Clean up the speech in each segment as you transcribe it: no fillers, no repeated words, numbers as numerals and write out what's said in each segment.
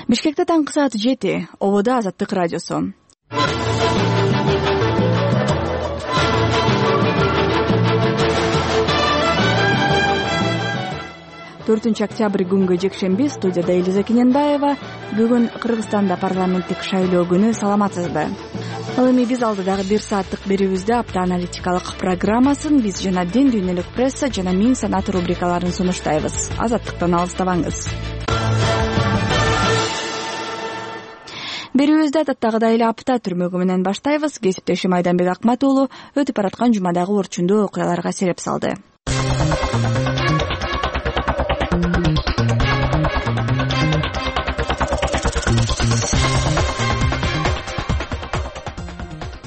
Бишкекте таңкы сааты 7. Ободо Азаттык радиосу. 4 октябрь күнгү жекшемби. Студияда Элиза Кененбаева. Бүгүн Кыргызстанда парламенттик шайлоо күнү. Саламатсызбы? Ал эми биз алдыдагы 1 сааттык берүүбүздө апта аналитикалык программасын биз жана дин, дүйнөлүк пресса жана миң санат рубрикаларын сунуштайбыз. Азаттыктан алыстабаңыз. Берүүбүздү адаттагыдай эле апта түрмөгү менен баштайбыз. Кесиптешим Айданбек Акмат уулу өтүп бараткан жумадагы орчундуу окуяларга сереп салды.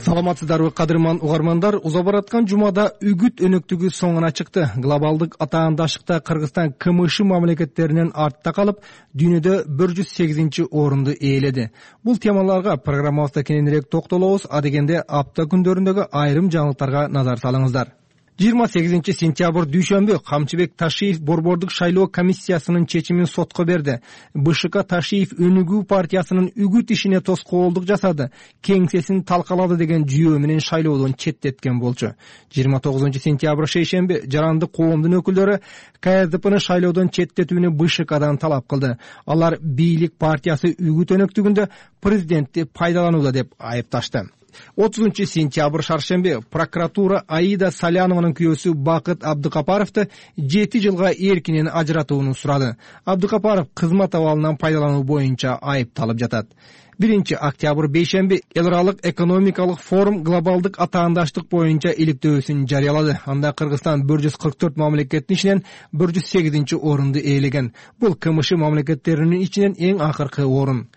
Саламатсыздарбы, кадырман угармандар. Уза бараткан жумада үгүт өнөктүгү соңуна чыкты. Глобалдык атаандашыкта Кыргызстан КМШ мамлекеттеринен артта калып, дүйнөдө 108 орунду ээледи. Бул темаларга программабызда кененирээк токтолобуз. Адегенде апта күндөрүндөгү айрым жаңылыктарга назар салыңыздар. 28 сентябрь дүйшөмбү Камчыбек Ташиев борбордук шайлоо комиссиясынын чечимин сотко берди. БШК Ташиев Өнүгүү партиясынын үгүт ишине тоскоолдук жасады, кеңсесин талкалады деген жүйөө менен шайлоодон четтеткен болчу. 29 сентябрь шейшемби жарандык коомдун өкүлдөрү КСДПны шайлоодон четтетүүнү БШКдан талап кылды. Алар бийлик партиясы үгүт өнөктүгүндө президентти пайдаланууда деп айыпташты. 30 сентябрь шаршемби прокуратура Аида Салянованын күйөөсү Бакыт Абдыкапаровду 7 жылга эркинен ажыратууну сурады. Абдыкапаров кызмат абалынан пайдалануу боюнча айыпталып жатат. 1 октябрь бейшемби эл аралык экономикалык форум глобалдык атаандаштык боюнча иликтөөсүн жарыялады. Анда Кыргызстан 144 мамлекеттин ичинен 108 орунду ээлеген. Бул КМШ мамлекеттеринин ичинен эң акыркы орун.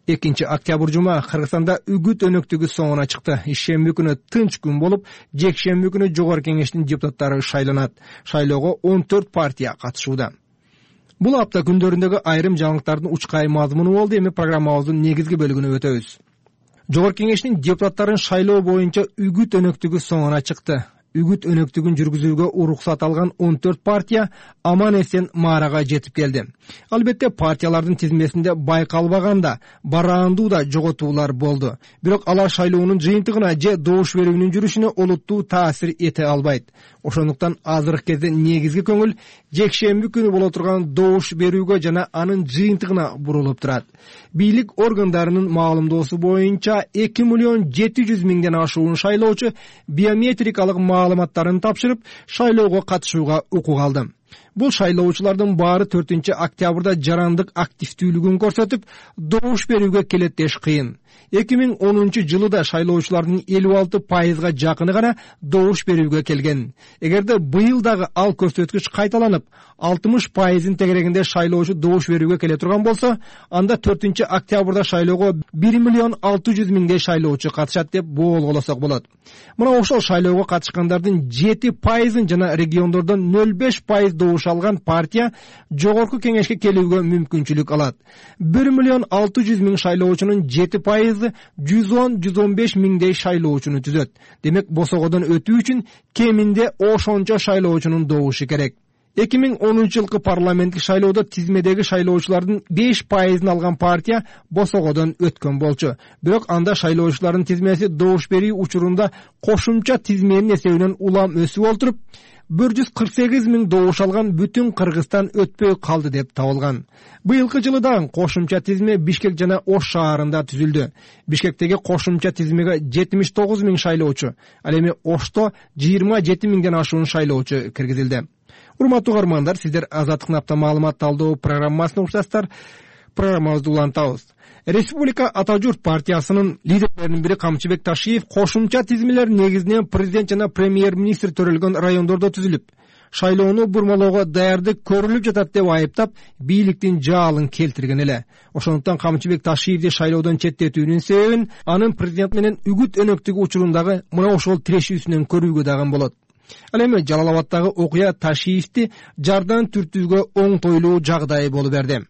2 октябрь жума Кыргызстанда үгүт өнөктүгү соңуна чыкты. Ишемби күнү тынч күн болуп, жекшемби күнү Жогорку Кеңештин депутаттары шайланат. Шайлоого 14 партия катышууда. Бул апта күндөрүндөгү айрым жаңылыктардын учкай мазмуну болду. Эми программабыздын негизги бөлүгүнө өтөбүз. Жогорку Кеңештин депутаттарын шайлоо боюнча үгүт өнөктүгү соңуна чыкты. Үгүт өнөктүгүн жүргүзүүгө уруксат алган 14 партия аман-эсен маарага жетип келди. Албетте партиялардын тизмесинде байкалбаганда бараандуу да жоготуулар болду. Бирок алар шайлоонун жыйынтыгына же добуш берүүнүн жүрүшүнө олуттуу таасир эте албайт. Ошондуктан азыркы кезде негизги көңүл жекшемби күнү боло турган добуш берүүгө жана анын жыйынтыгына бурулуп турат. Бийлик органдарынын маалымдоосу боюнча 2.700.000ден ашуун шайлоочу биометрикалык маалыматтарын тапшырып, шайлоого катышууга укук алды. Бул шайлоочулардын баары 4 октябрда жарандык активдүүлүгүн көрсөтүп, добуш берүүгө келеттеш кыйын. 2010 жылы да шайлоочулардын 56% жакыны гана добуш берүүгө келген. Эгерде быйыл дагы ал көрсөткүч кайталанып, 60%-ын тегерегинде шайлоочу добуш берүүгө келе турган болсо, анда 4 октябрда шайлоого 1.600.000 шайлоочу катышат деп боолголосок болот. Мына ошол шайлоого катышкандардын 7%-ын жана региондордон 0.5% добуш алган партия Жогорку Кеңешке келүүгө мүмкүнчүлүк алат. 1.600.000 шайлоочунун 7% 110-115 миңдей шайлоочуну түзөт. Демек, босогодон өтүү үчүн кеминде ошончо шайлоочунун добушу керек. 2010 жылкы парламенттик шайлоодо тизмедеги шайлоочулардын 5%-ын алган партия босогодон өткөн болчу. Бирок анда шайлоочулардын тизмеси добуш берүү учурунда кошумча тизменин эсебинен улам өсүп олтуруп, 148.000 добуш алган бүтүн Кыргызстан өтпөй калды деп табылган. Быйылкы жылы да кошумча тизме Бишкек жана Ош шаарында түзүлдү. Бишкектеги кошумча тизмеге 79.000 шайлоочу, ал эми Ошто 27.000ден ашуун шайлоочу киргизилди. Урматтуу угармандар, сиздер Азаттыктын апта маалымат талдоо программасына уктасыздар. Программабызды улантабыз. Республика Ата журт партиясынын лидерлеринин бири Камчыбек Ташиев кошумча тизмелер негизинен президент жана премьер-министр төрөлгөн райондордо түзүлүп, шайлоону бурмалоого даярдык көрүлүп жатат деп айыптап, бийликтин жаалын келтирген эле. Ошондуктан Камчыбек Ташиевди шайлоодон четтетүүнүн себебин анын президент менен үгүт өнөктүгү учурундагы мына ошол тирешүүсүнөн көрүүгө дагы болот. Ал эми Жалал Абаддагы окуя Ташиевди жардан түртүүгө оңтойлуу жагдай болуп берди.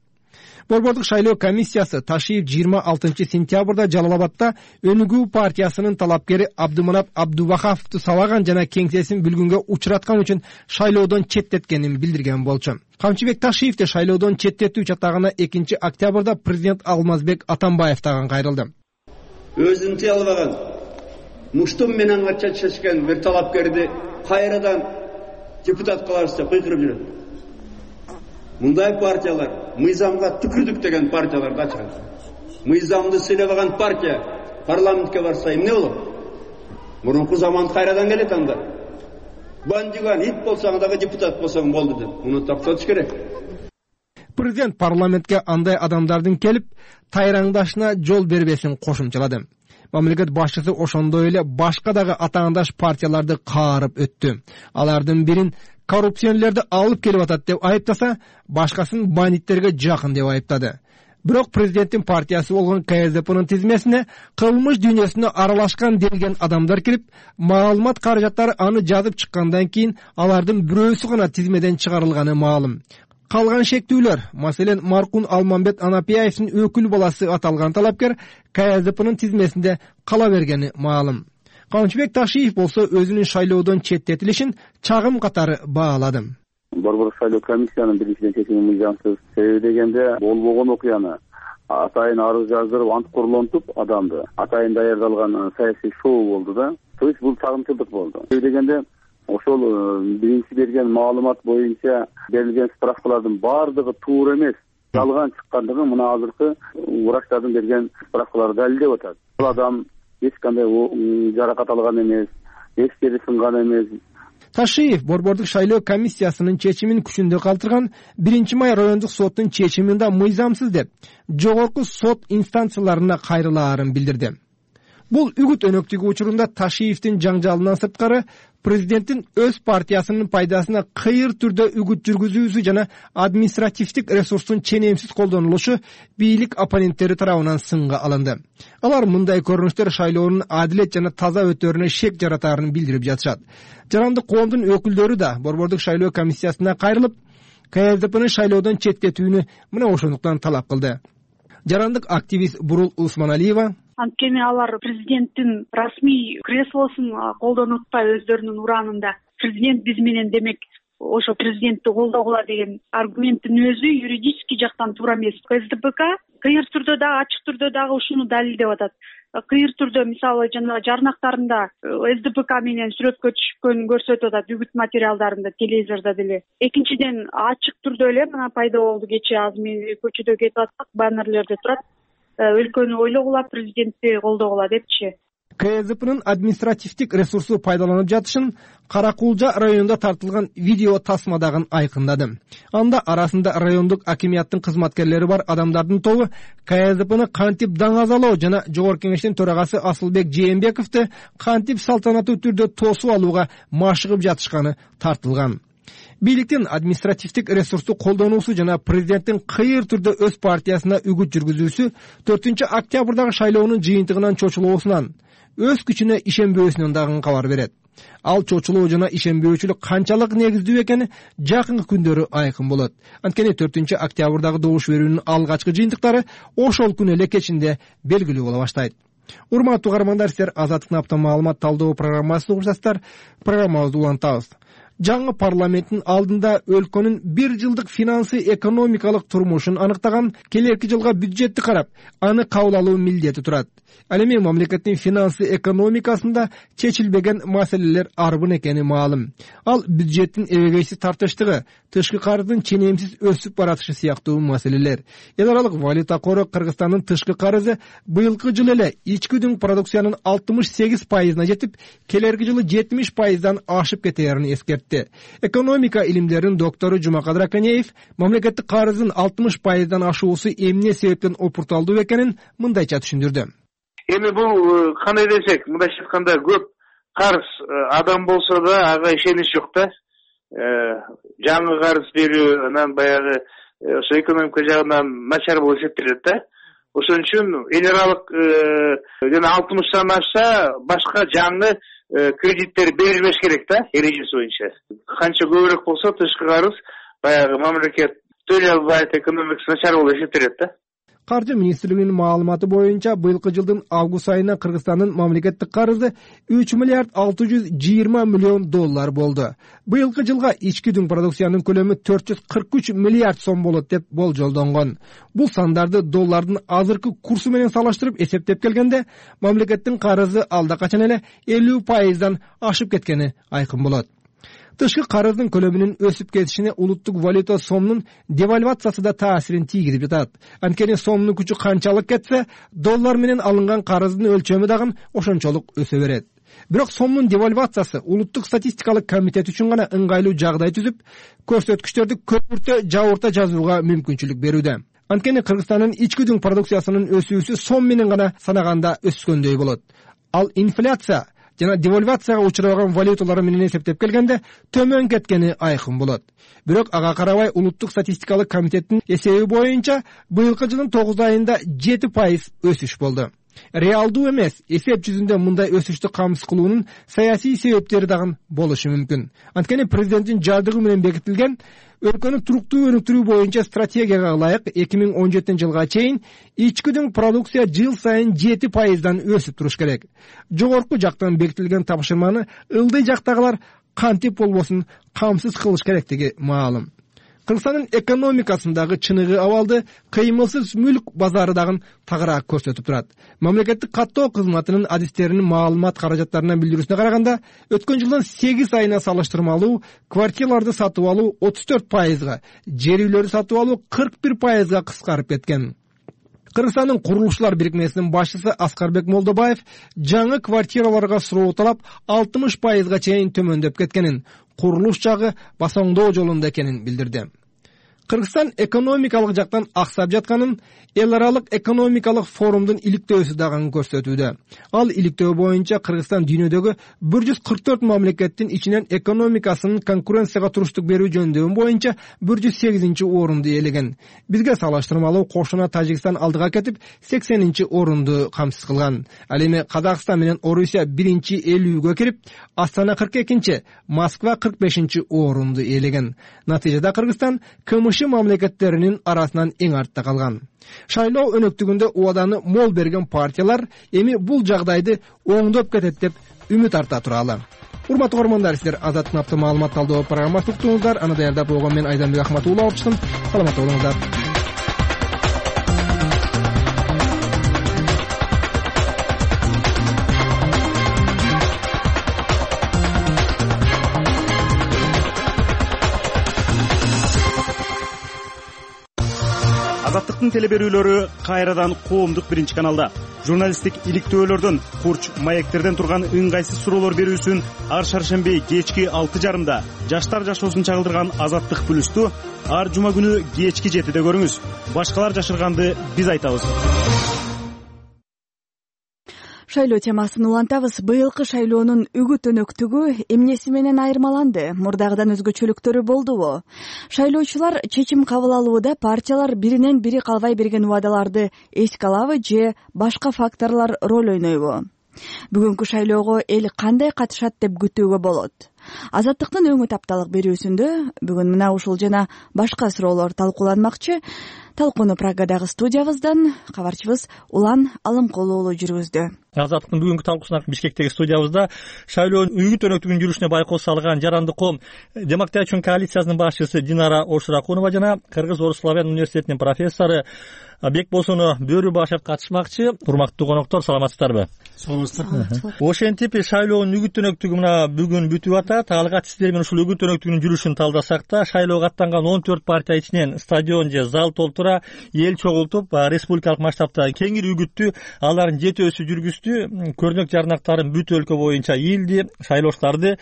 Борбордук шайлоо комиссиясы Ташиев 26-сентябрда Жалал Абадта Өнүгүү партиясынын талапкери Абдыманап Абдувахаповду сабаган жана кеңсесин бүлгүнгө учураткан үчүн шайлоодон четтеткенин билдирген болчу. Камчыбек Ташиев де шайлоодон четтетүү чатагына 2-октябрда президент Алмазбек Атамбаев дагы кайрылды. Өзүн тыя албаган, муштум менен чечишкен бир талапкерди кайрадан депутат кылабыз деп кыйкырып жүрөт. Мындай партиялар мыйзамга түкүрдүк деген партиялар да чыгат. Мыйзамды сыйлабаган партия парламентке барса эмне болот? Мурунку заман кайрадан келет анда. Бандиган ит болсоң дагы депутат болсоң болду деп. Муну токтотуш керек. Президент парламентке андай адамдардын келип тайраңдашына жол бербесин кошумчалады. Мамлекет башчысы ошондой эле башка дагы атаандаш партияларды каарып өттү. Алардын бирин коррупционерлерди алып келип атат деп айыптаса, башкасын бандиттерге жакын деп айыптады. Бирок президенттин партиясы болгон КСДПнын тизмесине кылмыш дүйнөсүнө аралашкан делген адамдар кирип, маалымат каражаттары аны жазып чыккандан кийин алардын бирөөсү гана тизмеден чыгарылганы маалым. Калган шектүүлөр, маселен, Маркун Алмамбет Анапияевдин өкүл баласы аталган талапкер КСДПнын тизмесинде кала бергени маалым. Камчыбек Ташиев болсо өзүнүн шайлоодон четтетилишин чагым катары баалады. Борбордук шайлоо комиссиянын биринчиден чечими мыйзамсыз. Себеби дегенде болбогон окуяны атайын арыз жаздырып, ант курулонтуп адамды атайын даярдалган саясий шоу болду да. То есть бул чагымчылдык болду. Себеби дегенде ошол биринчи берген маалымат боюнча берилген справкалардын баардыгы туура эмес, жалган чыккандыгын мына азыркы врачтардын берген справкалары далилдеп атат. Бул адам эч кандай жаракат алган эмес, эчтери сынган эмес. Ташиев Борбордук шайлоо комиссиясынын чечимин күчүндө калтырган 1-май райондук соттун чечимин да мыйзамсыз деп жогорку сот инстанцияларына кайрылаарын билдирди. Бул үгүт өнөктүгү учурунда Ташиевдин жаңжалынан сырткары президенттин өз партиясынын пайдасына кыйыр түрдө үгүт жүргүзүүсү жана административдик ресурстун ченемсиз колдонулушу бийлик оппоненттери тарабынан сынга алынды. Алар мындай көрүнүштөр шайлоонун адилет жана таза өтөрүнө шек жаратаарын билдирип жатышат. Жарандык коомдун өкүлдөрү да Борбордук шайлоо комиссиясына кайрылып, КСДПнын шайлоодон четтетүүнү мына ошондуктан талап кылды. Жарандык активист Бурул Усманалиева: Анткени алар президенттин расмий креслосун колдонуп атпай өздөрүнүн ураанында президент биз менен демек ошо президентти колдогула деген аргументтин өзү юридический жактан туура эмес. КСДПК кыйыр түрдө дагы ачык түрдө дагы ушуну далилдеп атат. Кыйыр түрдө мисалы жанагы жарнактарында СДПК менен сүрөткө түшкөнүн көрсөтүп атат, үгүт материалдарында, телевизордо деле. Экинчиден ачык түрдө эле мына пайда болду, кечээ азыр мен көчөдө кетип атсак, баннерлерде турат. Өлкөнү ойлогула, президентти колдогула депчи. КСДПнын административдик ресурсу пайдаланып жатышын Каракулжа районунда тартылган видео тасмадагы айкындады. Анда арасында райондук акимияттын кызматкерлери бар адамдардын тобу КСДПны кантип даңазалоо жана жогорку кеңештин төрагасы Асылбек Жээнбековду кантип салтанаттуу түрдө тосуп алууга машыгып жатышканы тартылган. Бийликтин административдик ресурсту колдонуусу жана президенттин кыйыр түрдө өз партиясына үгүт жүргүзүүсү 4-октябрдагы шайлоонун жыйынтыгынан чочулуусунан, өз күчүнө ишенбөөсүнөн дагы кабар берет. Ал чочулуу жана ишенбөөчүлүк канчалык негиздүү экени жакынкы күндөрү айкын болот. Анткени 4-октябрдагы добуш берүүнүн алгачкы жыйынтыктары ошол күнү эле кечинде белгилүү боло баштайт. Урматтуу угармандар, силер Азаттык наптан маалымат талдоо программасын угуп жатасыздар. Программабызды улантабыз. Жаңы парламенттин алдында өлкөнүн 1 жылдык финансы экономикалык турмушун аныктаган келерки жылга бюджетти карап, аны кабыл алуу милдети турат. Ал эми мамлекеттин финансы экономикасында чечилбеген маселелер арбын экени маалым. Ал бюджеттин эбегейсиз тартыштыгы, тышкы карыздын ченемсиз өсүп баратышы сыяктуу маселелер. Эл аралык валюта кору Кыргызстандын тышкы карызы быйылкы жылы эле ички дүң продукциянын 68%на жетип, келерки жылы 70%дан ашып кетээрин эскертти. Экономика илимдеринин доктору Жумакадыр Аканеев мамлекеттик карыздын 60%дан ашуусу эмне себептен опурталдуу экенин мындайча түшүндүрдү. Эми бул кандай десек, мындайча айтканда көп карыз адам болсо да ага ишенич жок да. Жаңы карыз берүү анан баягы ошо экономика жагынан начар болуп эсептелет да. Ошон үчүн эл аралык жана 60-тан ашса башка жаңы кредиттер берилбеш керек да, эрежеси боюнча. Канча көбүрөөк болсо тышкы карыз баягы мамлекет төлөй албайт, экономикасы начар болуп эсептелет да. Каржы министрлигинин маалыматы боюнча быйылкы жылдын август айына Кыргызстандын мамлекеттик карызы 3 миллиард 620 миллион доллар болду. Быйылкы жылга ички дүң продукциянын көлөмү 443 миллиард сом болот деп болжолдонгон. Бул сандарды доллардын азыркы курсу менен салыштырып эсептеп келгенде, мамлекеттин карызы алда качан эле 50% ашып кеткени айкын болот. Тышкы карыздын көлөмүнүн өсүп кетишине улуттук валюта сомдун девальвациясы да таасирин тийгизип жатат. Анткени сомдун күчү канчалык кетсе, доллар менен алынган карыздын өлчөмү дагы ошончолук өсө берет. Бирок сомдун девальвациясы улуттук статистикалык комитет үчүн гана ыңгайлуу жагдай түзүп, көрсөткүчтөрдү көпүртө жабырта жазууга мүмкүнчүлүк берүүдө. Анткени Кыргызстандын ички дүң продукциясынын өсүүсү сом менен гана санаганда өскөндөй болот. Ал инфляция жана девальвацияга учураган валюталар менен эсептеп келгенде төмөн кеткени айкын болот. Бирок ага карабай улуттук статистикалык комитеттин эсеби боюнча быйылкы жылдын 9 айында 7% өсүш болду. Реалдуу эмес, эсеп жүзүндө мындай өсүштү камсыз кылуунун саясий себептери дагы болушу мүмкүн. Анткени президенттин жардыгы менен бекитилген өлкөнү туруктуу өнүктүрүү боюнча стратегияга ылайык 2017 жылга чейин ички дүң продукция жыл сайын 7% өсүп туруш керек. Жогорку жактан бекитилген тапшырманы ылдый жактагылар кантип болбосун камсыз кылыш керектиги маалым. Кыргызстандын экономикасындагы чыныгы абалды кыймылсыз мүлк базары дагы тагыраак көрсөтүп турат. Мамлекеттик каттоо кызматынын адистеринин маалымат каражаттарынан билдирүүсүнө караганда, өткөн жылдын 8 айына салыштырмалуу квартираларды сатып алуу 34%, жер үйлөрдү сатып алуу 41%га кыскарып кеткен. Кыргызстандын курулушчулар бирикмесинин башчысы Аскарбек Молдобаев жаңы квартираларга суроо талап 60%га чейин төмөндөп кеткенин, курулуш жагы басоңдоо жолунда экенин билдирди. Кыргызстан экономикалык жактан аксап жатканын эл аралык экономикалык форумдун иликтөөсү дагы көрсөтүүдө. Ал иликтөө боюнча Кыргызстан дүйнөдөгү 144 мамлекеттин ичинен экономикасынын конкуренцияга туруштук берүү жөндөмү боюнча 108 орунду ээлеген. Бизге салыштырмалуу кошуна Тажикстан алдыга кетип 80 орунду камсыз кылган. Ал эми Казакстан менен Орусия 50-50-гө кирип, Астана 42, Москва 45 орунду ээлеген. Натыйжада Кыргызстан КМШ мамлекеттеринин арасынан эң артта калган. Шайлоо өнөктүгүндө убаданы мол берген партиялар эми бул жагдайды оңдоп кетет деп үмүт арта туралы. Урматтуу көрөрмандар, сиздер Азаттык апта маалымат талдоо программасын уктуңуздар. Аны даярдап болгон мен Айданбек Ахматулла алып чыктым. Саламатта болуңуздар. Азаттыктын телеберүүлөрү кайрадан коомдук биринчи каналда. Журналисттик иликтөөлөрдөн, курч маектерден турган ыңгайсыз суроолор берүүсүн ар шаршемби кечки 6:30 жаштар жашоосун чагылдырган Азаттык плюсту ар жума күнү кечки 7-де көрүңүз. Башкалар жашырганды биз айтабыз. Шайлоо темасын улантабыз. Быйылкы шайлоонун үгүт өнөктүгү эмнеси менен айырмаланды? Мурдагыдан өзгөчөлүктөрү болдубу? Шайлоочулар чечим кабыл алууда партиялар биринен бири калбай берген убадаларды эске алабы же башка факторлор роль ойнойбу? Бүгүнкү шайлоого эл кандай катышат деп күтүүгө болот? Азаттыктын өңүт апталык берүүсүндө бүгүн мына ушул жана башка суроолор талкууланмакчы. Талкууну Прагадагы студиябыздан кабарчыбыз Улан Алымкулуу уулу жүргүздү. Азаттыктын бүгүнкү талкуусуна Бишкектеги студиябызда шайлоонун үгүт өнөктүгүнүн жүрүшүнө байкоос салган Жаранды ком демократия коалициясынын башчысы Динара Оршуракунова жана Кыргыз-Орус славян университетинин профессору Бекболсун Бөрүбашев катышмакчы. Урматтуу коноктор, саламатсыздарбы? Саламатсыздар. Ошентип шайлоонун үгүт өнөктүгү мына бүгүн бүтүп атат. Алгач сиздер менен ушул үгүт өнөктүгүнүн жүрүшүн талдасак да, шайлоого аттанган 14 партия ичинен стадион же зал толтура эл чогултуп, республикалык масштабта кеңири үгүттү, алардын жетөөсү жүргүздү. Көрнөк жарнактарын бүт өлкө боюнча ийилди. Шайлоочуларды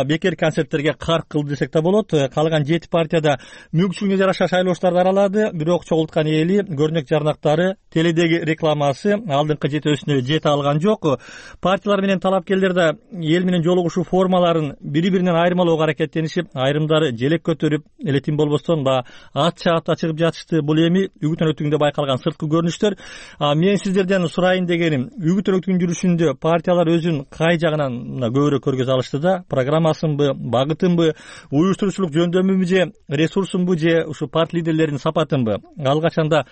бекер концерттерге карк кылды десек да болот. Калган 7 партияда мүмкүнчүлүгүнө жараша шайлоочуларды аралады. Бирок чогулткан эли көрнөк жарнактары, теледеги рекламасы алдыңкы жетөөсүнө жете алган жок. Партиялар менен талапкерлер да эл менен жолугушуу формаларын партиялардын бири биринен айырмалоого аракеттенишип, айрымдары желек көтөрүп, элетин болбостон ат чаапта чыгып жатышты. Бул эми үгүт өнөктүгүндө байкалган сырткы көрүнүштөр. Мен сиздерден сурайын дегеним, үгүт өнөктүгүнүн жүрүшүндө партиялар өзүн кай жагынан көбүрөөк көргөзө алышты да? Программасынбы, багытынбы, уюштуруучулук жөндөмүбү же ресурсунбу же ушу партия лидерлеринин сапатынбы? Ал качанда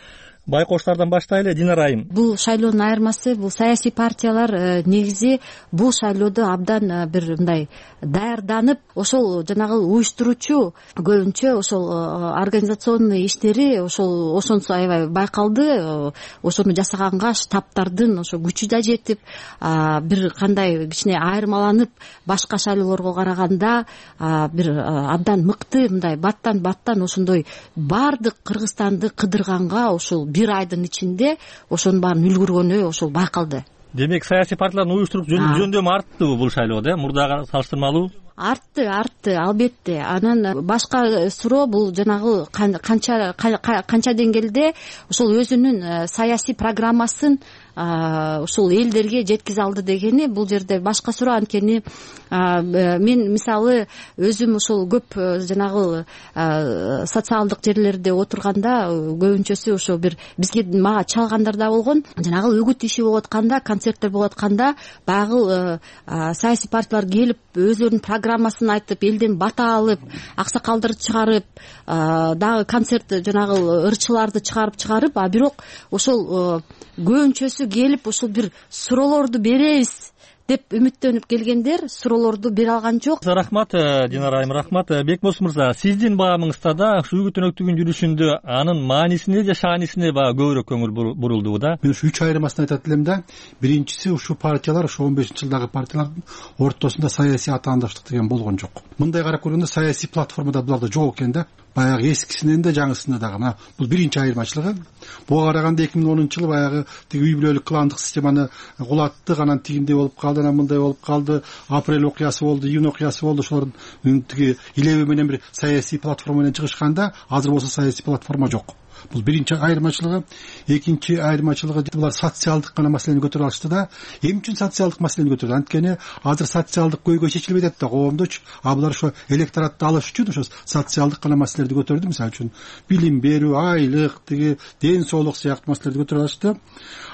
байкоштардан баштайлы. Динара айым. Бул шайлоонун айырмасы, бул саясий партиялар негизи бул шайлоодо абдан бир мындай даярданып, ошол жанагы уюштуруучу көбүнчө ошол организационный иштери ошонусу аябай байкалды. Ошону жасаганга штабтардын ошо күчү да жетип, бир кандай кичине айырмаланып, башка шайлоолорго караганда бир абдан мыкты мындай баттан ошондой баардык Кыргызстанды кыдырганга ошол бир айдын ичинде ошонун баарын үлгүргөнү ошол байкалды. Демек саясий партиялардын уюштурук жөндөмү арттыбы бул шайлоодо? Мурдага салыштырмалуу артты албетте. Анан башка суроо бул жанагы канча деңгээлде ошол өзүнүн саясий программасын ушул элдерге жеткизе алды дегени бул жерде башка суроо. Анткени мен мисалы өзүм ошол көп жанагы социалдык жерлерде отурганда көбүнчөсү ошо бир бизге мага чалгандар да болгон. Жанагы үгүт иши болуп атканда, концерттер болуп атканда баягы саясий партиялар келип өзлөрүнүн программасын айтып, элден бата алып, аксакалдарды чыгарып, дагы концерт жанагы ырчыларды чыгарып, а бирок ошол көбүнчөсү келип ошол бир суроолорду беребиз деп үмүттөнүп келгендер суроолорду бере алган жок. Рахмат Динара айым, рахмат. Бекбос мырза, сиздин баамыңызда да ушу үгүт өнөктүгүнүн жүрүшүндө анын маанисине же шаанисине көбүрөөк көңүл бурулду да? Мен ушу 3 айырмасын айтат элем да. Биринчиси, ушу партиялар, ушу 15-жылдагы партиялардын ортосунда саясий атаандаштык деген болгон жок. Мындай карап көргөндө саясий платформада буларда жок экен да. Баягы эскисинен да жаңысына дагы. Мына бул биринчи айырмачылыгы. Буга караганда 2010-жылы баягы тиги үй бүлөлүк кландык системаны кулаттык, анан тигиндей болуп калды, анан мындай болуп калды, апрель окуясы болду, июнь окуясы болду. Ошолордун тиги илеби менен бир саясий платформа менен чыгышканда, азыр болсо саясий платформа жок. Бул биринчи айырмачылыгы. Экинчи айырмачылыгы, булар социалдык гана маселени көтөрүп алышты да. Эмне үчүн социалдык маселени көтөрдү? Анткени азыр социалдык көйгөй чечилбей атат да коомдочу. Булар ошо электоратты алыш үчүн ошо социалдык гана маселелерди көтөрдү. Мисалы үчүн билим берүү, айлык, тиги ден соолук сыяктуу маселелерди көтөрүп алышты.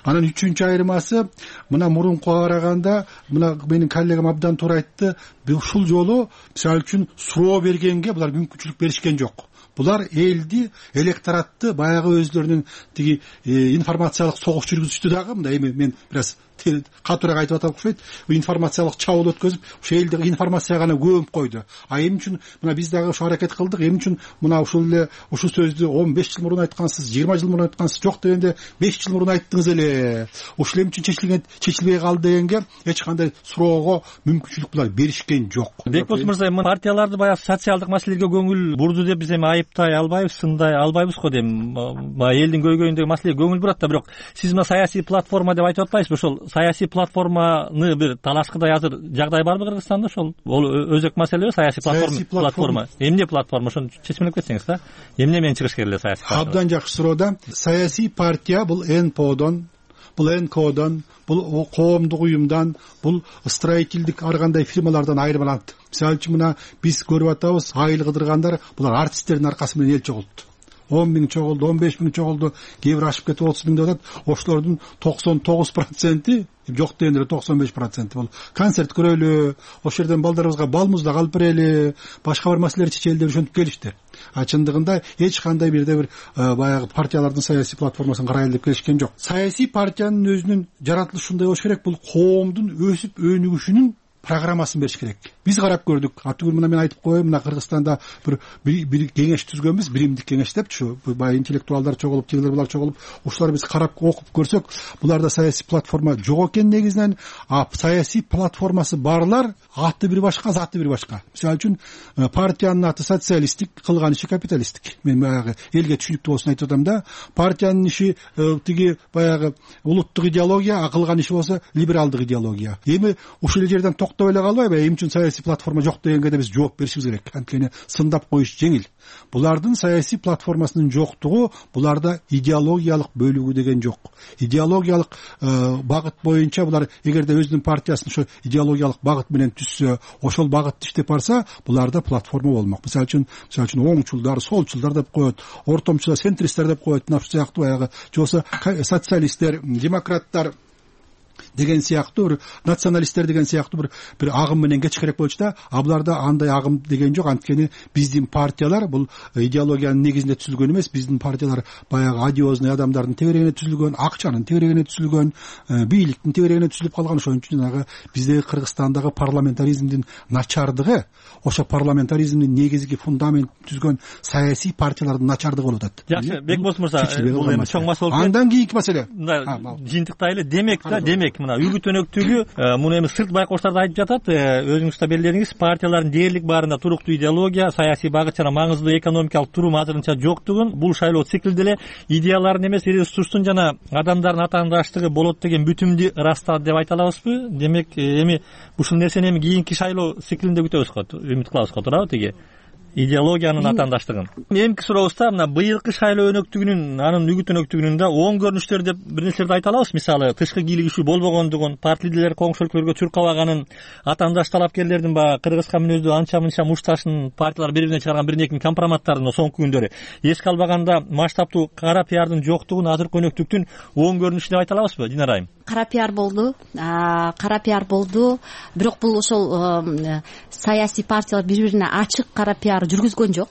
Анан үчүнчү айырмасы, мына мурункуга караганда, мына менин коллегам абдан туура айтты, ушул жолу мисалы үчүн суроо бергенге булар мүмкүнчүлүк беришкен жок. Булар элди, электоратты баягы өзлөрүнүн тиги информациялык согуш жүргүзүштү дагы. Мындай эми мен бир аз катуураак айтып атам окшойт. Информациялык чабуул өткөзүп, ошо элди информацияга гана көмүп койду. Эмне үчүн мына биз дагы ошо аракет кылдык. Эмне үчүн мына ушул эле ушу сөздү 15 жыл мурун айткансыз, 20 жыл мурун айткансыз, жок дегенде 5 жыл мурун айттыңыз эле. Ушул эмне үчүн чечилбей калды дегенге эч кандай суроого мүмкүнчүлүк булар беришкен жок. Бекбос мырза, партияларды баягы социалдык маселелерге көңүл бурду деп биз эми айыптай албайбыз, сындай албайбыз го дейм. Элдин көйгөйүндөгү маселеге көңүл бурат да, бирок сиз мына саясий платформа деп айтып атпайсызбы? Ошол саясий платформаны бир талашкыдай азыр жагдай барбы Кыргызстанда? Ошол өзөк маселеби саясий платформа. Эмне платформа? Ошону чечмелеп кетсеңиз да. Эмне менен чыгыш керек эле саясий платформа? Абдан жакшы суроо да. Саясий партия бул НПОдон, бул НКОдон, бул коомдук уюмдан, бул строительдик ар кандай фирмалардан айырмаланат. Мисалы үчүн мына биз көрүп атабыз, айыл кыдыргандар булар артисттердин аркасы менен эл чогултtu. 10 миң чогулду, 15 миң чогулду, кээ бир ашып кетип 30 миң деп атат. Ошолордун 99% жок дегенде 95% бул концерт көрөлү, ошол жерден балдарыбызга бал муздак алып берели, башка бир маселелерди чечели деп ошентип келишти. Чындыгында эч кандай бир баягы партиялардын саясий платформасын карайлы деп келишкен жок. Саясий партиянын өзүнүн жаратылышындай болуш керек. Бул коомдун өсүп өнүгүшүнүн программасын бериш керек. Биз карап көрдүк. Атүгүл мына мен айтып коеюн, мына Кыргызстанда бир кеңеш түзгөнбүз, биримдик кеңеш депчи. Бай интеллектуалдар чогулуп, тигилер булар чогулуп, ушулар биз карап окуп көрсөк, буларда саясий платформа жок экен негизинен. Саясий платформасы барлар аты бир башка, заты бир башка. Мисалы үчүн партиянын аты социалисттик, кылган иши капиталисттик. Мен баягы элге түшүнүктүү болсун айтып атам да. Партиянын иши тиги баягы улуттук идеология, кылган иши болсо либералдык идеология. Эми ушул жерден токтоп эле калбайбы, эмне үчүн саясий платформа жок дегенге да биз жооп беришибиз керек. Анткени сындап коюш жеңил. Булардын саясий платформасынын жоктугу буларда идеологиялык бөлүгү деген жок. Идеологиялык багыт боюнча булар эгерде өзүнүн партиясын ошо идеологиялык багыт менен түзсө, ошол багытты иштеп барса, буларда платформа болмок. Мисалы үчүн оңчулдар, солчулдар деп коет, ортомчулар, центристтер деп коет, мына ушул сыяктуу баягы же болбосо социалисттер, демократтар деген сыяктуу, бир националисттер деген сыяктуу бир агым менен кетиш керек болчу да. А буларда андай агым деген жок. Анткени биздин партиялар бул идеологиянын негизинде түзүлгөн эмес. Биздин партиялар баягы одиозный адамдардын тегерегине түзүлгөн, акчанын тегерегине түзүлгөн, бийликтин тегерегине түзүлүп калган. Ошон үчүн жанагы биздеги Кыргызстандагы парламентаризмдин начардыгы, ошо парламентаризмдин негизги фундаментин түзгөн саясий партиялардын начардыгы болуп атат. Жакшы, Бекболсун мырза, бул эми чоң маселе болуп. Андан кийинки маселе. Жыйынтыктайлы. Демек мына үгүт өнөктүгү, муну эми сырт байкоштор айтып жатат, өзүңүз да белгиледиңиз, партиялардын дээрлик баарында туруктуу идеология, саясий багыт жана маңыздуу экономикалык турум азырынча жоктугун, бул шайлоо циклде эле идеялардын эмес, ресурстун жана адамдардын атаандаштыгы болот деген бүтүмдү ырастады деп айта алабызбы? Демек эми ушул нерсени эми кийинки шайлоо циклинде күтөбүз го, үмүт кылабыз го, туурабы тиги идеологиянын атаандаштыгын? Эмки сурообузда мына быйылкы шайлоо өнөктүгүнүн, анын үгүт өнөктүгүнүн да оң көрүнүштөр деп бир нерселерди айта алабыз. Мисалы, тышкы кийлигишүү болбогондугун, парт лидерлер коңшу өлкөлөргө чуркабаганын, атаандаш талапкерлердин баягы кыргызка мүнөздүү анча мынча мушташын партиялар бири-бирине чыгарган бир неки компроматтарын соңку күндөрү эске албаганда маштаптуу кара пиардын жоктугун азыркы өнөктүктүн оң көрүнүшү деп айта алабызбы, Динара айым? Кара пиар болду, бирок бул ошол саясий партиялар бири-бирине ачык кара пиар жүргүзгөн жок.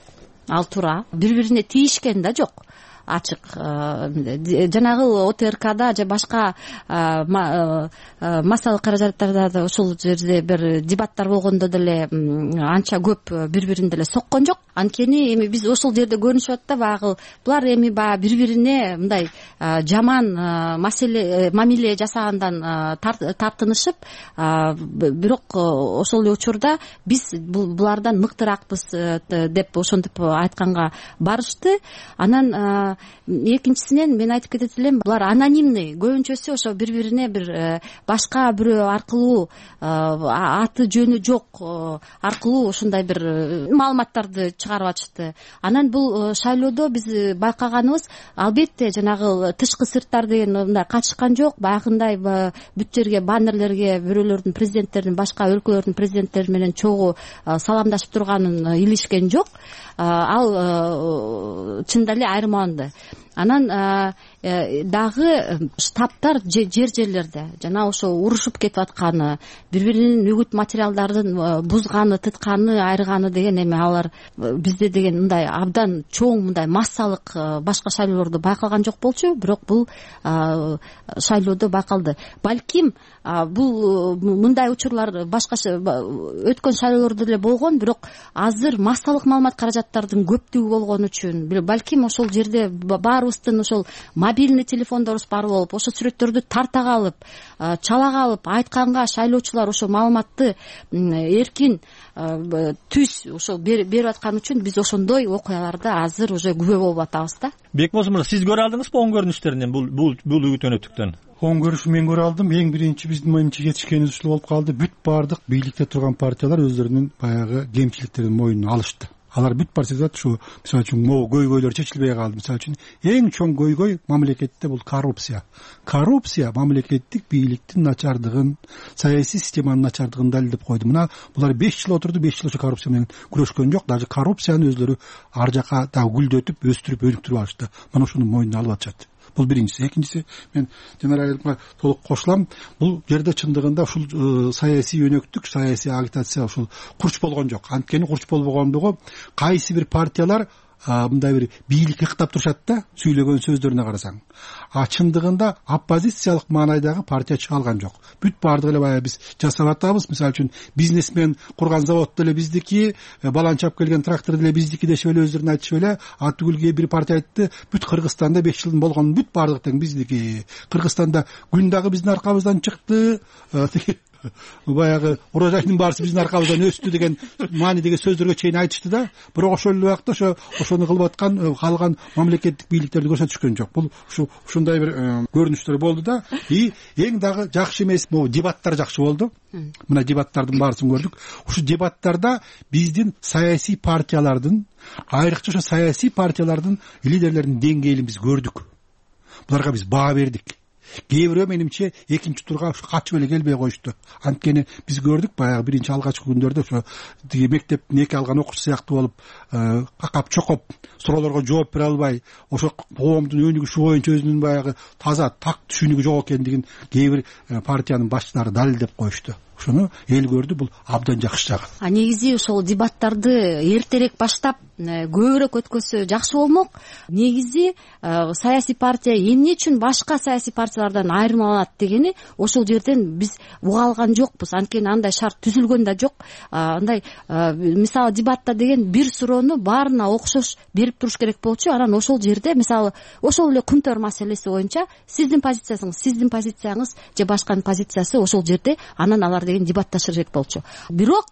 Ал туура. Бири-бирине тийишкен да жок. Ачык жанагы ОТРКда же башка массалык каражаттарда да ушул жерде бир дебаттар болгондо деле анча көп бири-бирин деле соккон жок. Анткени эми биз ошол жерде көрүнүшүп атат да, баягы булар эми баягы бири-бирине мындай жаман мамиле жасагандан тартынышып, бирок ошол эле учурда биз булардан мыктыракпыз деп ошентип айтканга барышты. Анан экинчисинен мен айтып кетет элем, булар анонимный, көбүнчөсү ошо бири-бирине бир башка бирөө аркылуу, аты жөнү жок аркылуу ушундай бир маалыматтарды чыгарып атышты. Анан бул шайлоодо биз байкаганыбыз, албетте жанагы тышкы сырттар деген мындай качышкан жок. Баягындай бүт жерге баннерлерге бирөөлөрдүн, президенттердин, башка өлкөлөрдүн президенттери менен чогуу саламдашып турганын илишкен жок. Ал чында эле айырмаланды. Анан дагы штабтар жерлерде жана ошо урушуп кетип атканы, бири-биринин үгүт материалдарын бузганы, тытканы, айырганы деген эми алар бизде деген мындай абдан чоң мындай массалык башка шайлоолордо байкалган жок болчу, бирок бул шайлоодо байкалды. Балким бул мындай учурлар башка өткөн шайлоолордо деле болгон, бирок азыр массалык маалымат каражаттардын көптүгү болгон үчүн балким ошол жерде баарыбыздын ошол мобильный телефондорубуз бар болуп, ошо сүрөттөрдү тарта калып, чала калып, айтканга шайлоочулар ошо маалыматты эркин түз ошол берип аткан үчүн биз ошондой окуяларда азыр уже күбө болуп атабыз да. Бекболсун мырза, сиз көрө алдыңызбы оң көрүнүштөрүнөн бул үгүт өнөктүктөн? Оң көрүшү мен көрө алдым. Эң биринчи биздин моюнча жетишкенибиз ушул болуп калды. Бүт баардык бийликте турган партиялар өздөрүнүн баягы кемчиликтерин мойнуна алышты. Алар бүт партиялар ушу, мисалы үчүн, могу көйгөйлөр чечилбей калды. Мисалы үчүн, эң чоң көйгөй мамлекетте бул коррупция. Коррупция мамлекеттик бийликтин начардыгын, саясий системанын начардыгын далилдеп койду. Мына булар 5 жыл отурду, 5 жыл ошо коррупция менен күрөшкөн жок. Даже коррупцияны өздөрү ар жака дагы гүлдөтүп, өстүрүп, өнүктүрүп алышты. Мына ушуну мойнуна алып атышат. Бул биринчиси. Экинчиси, мен Динара айымга толук кошулам. Бул жерде чындыгында ушул саясий өнөктүк, саясий агитация ушул курч болгон жок. Анткени курч болбогондугу кайсы бир партиялар мындай бир бийлик ыктап турушат да, сүйлөгөн сөздөрүнө карасаң. Чындыгында оппозициялык маанайдагы партия чыга алган жок. Бүт баардыгы эле баягы биз жасап атабыз. Мисалы үчүн, бизнесмен курган завод деле биздики, баланчап келген трактор деле биздики дешип эле өздөрүн айтышып эле. Түгүлгө бир партия айтты, бүт Кыргызстанда 5 жылдын болгонун бүт баардык тең биздики. Кыргызстанда күн дагы биздин аркабыздан чыкты. баягы урожайдын баарысы биздин аркабыздан өстү деген маанидеги сөздөргө чейин айтышты да, бирок ошол эле убакта ошону кылып аткан калган мамлекеттик бийликтерди көрсөтүшкөн жок. Бул ушундай бир көрүнүштөр болду да. И эң дагы жакшы эмес могу дебаттар жакшы болду. Мына дебаттардын баарысын көрдүк. Ушу дебаттарда биздин саясий партиялардын, айрыкча ошо саясий партиялардын лидерлеринин деңгээлин биз көрдүк. Буларга биз баа бердик. Кээ бирөө менимче экинчи турга качып эле келбей коюшту. Анткени биз көрдүк баягы биринчи алгачкы күндөрдө ошо мектептин эки алган окуучусу сыяктуу болуп, какап чокоп, суроолорго жооп бере албай, ошо коомдун өнүгүшү боюнча өзүнүн баягы таза так түшүнүгү жок экендигин кээ бир партиянын башчылары далилдеп коюшту. Ошону эл көрдү, бул абдан жакшы жагы. Негизи ошол дебаттарды эртерээк баштап көбүрөөк өткөзсө жакшы болмок. Негизи саясий партия эмне үчүн башка саясий партиялардан айырмаланат дегени ошол жерден биз уга алган жокпуз. Анткени андай шарт түзүлгөн да жок. Андай мисалы дебатта деген бир суроону баарына окшош берип туруш керек болчу. Анан ошол жерде мисалы ошол эле күнтөр маселеси боюнча сиздин позицияңыз же башканын позициясы ошол жерде анан алар деген дебатташыр керек болчу. Бирок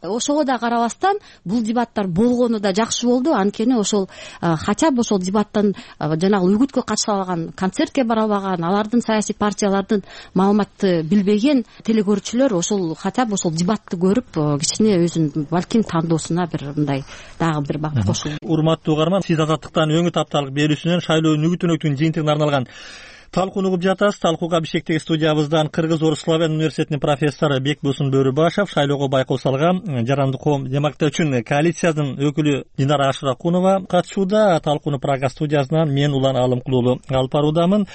ошого да карабастан бул дебаттар болгону да жакшы болду. Анткени ошол хотя бы ошол дебаттан жанагы үгүткө катыша албаган, концертке бара албаган, алардын саясий партиялардын маалыматты билбеген телекөрүүчүлөр ошол хотя бы ошол дебатты көрүп кичине өзүнүн балким тандоосуна бир мындай дагы бир багыт кошулду. Урматтуу угарман, сиз Азаттыктан өңүт апталык берүүсүнөн шайлоо нүгүт-өнөктүгүнүн жыйынтыгына арналган талкууну угуп жатасыз. Талкууга Бишкектеги студиябыздан Кыргыз-Орус славян университетинин профессору Бекбосун Бөрүбашев, шайлоого байкоо салган Жарандык коом демократтар үчүн коалициянын өкүлү Динара Ашыракунова катышууда. Талкууну Прага студиясынан мен Улан Алымкулуулу алып баруудамын.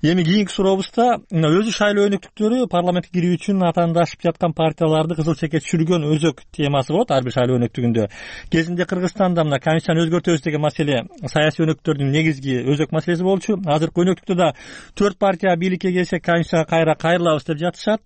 Эми кийинки сурообузда өзү шайлоо өнөктүктөрү парламентке кирүү үчүн атаандашып жаткан партияларды кызыл чекке түшүргөн өзөк темасы болот ар бир шайлоо өнөктүгүндө. Кезинде Кыргызстанда мына комиссияны өзгөртөбүз деген маселе саясий өнөктүктөрдүн негизги өзөк маселеси болчу. Азыркы өнөктүктө да 4 партия бийликке келсе комиссияга кайрылабыз деп жатышат.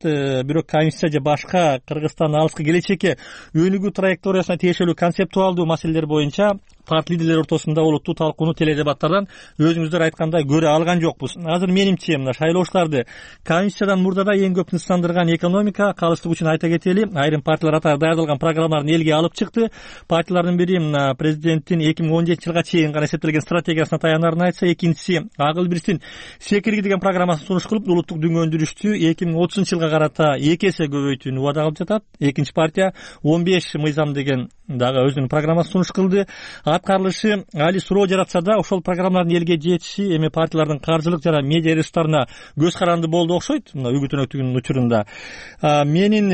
Бирок комиссия же башка Кыргызстандын алыскы келечекке өнүгүү траекториясына тиешелүү концептуалдуу маселелер боюнча парт лидерлери ортосунда олуттуу талкууну теледебаттардан өзүңүздөр айткандай көрө алган жокпуз. Азыр менимче мына шайлоочуларды комиссиядан мурдада эң көп тынчсыздандырган экономика калыстык үчүн айта кетели. Айрым партиялар атайын даярдалган программаларын элге алып чыкты. Партиялардын бири мына президенттин 2017-жылга чейин гана эсептелген стратегиясына таянарын айтса, экинчиси Акыл Бирстин секирги деген программасын сунуш кылып, улуттук дүнгөндүрүштү 2030-жылга карата 2 эсе көбөйтүүнү убада кылып жатат. Экинчи партия 15 мыйзам деген дагы өзүнүн программасын сунуш кылды. Аткарылышы али суроо жаратса да, ошол программалардын элге жетиши эми партиялардын каржылык жана медиа ресурстарына көз каранды болду окшойт. Мына үгүт өнөктүгүнүн учурунда менин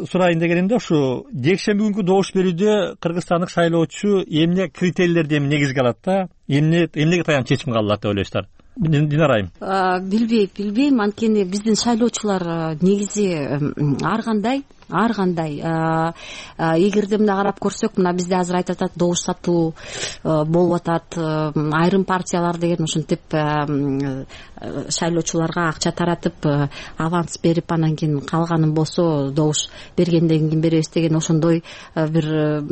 сурайын дегенимде ушу жекшемби күнкү добуш берүүдө кыргызстандык шайлоочу эмне критерийлерди негизге алат да, эмнеге таянып чечим кабыл алат деп ойлойсуздар? Динара айым. Билбейм, анткени биздин шайлоочулар негизи ар кандай эгерде мына карап көрсөк, мына бизде азыр айтып атат добуш сатуу болуп атат, айрым партиялар деген ушинтип шайлоочуларга акча таратып аванс берип анан кийин калганын болсо добуш бергенден кийин беребиз деген ошондой бир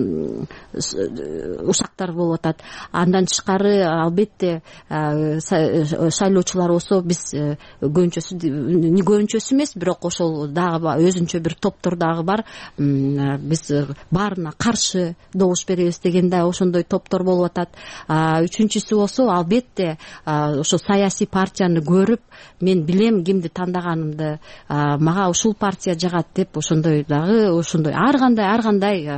ушактар болуп атат. Андан тышкары албетте шайлоочулар болсо биз көбүнчөсү эмес, бирок ошол дагы өзүнчө бир топтор дагы бар. Биз баарына каршы добуш беребиз деген да ошондой топтор болуп атат. Үчүнчүсү болсо албетте ошо саясий партияны көрүп, мен билем кимди тандаганымды, мага ушул партия жагат деп ошондой ар кандай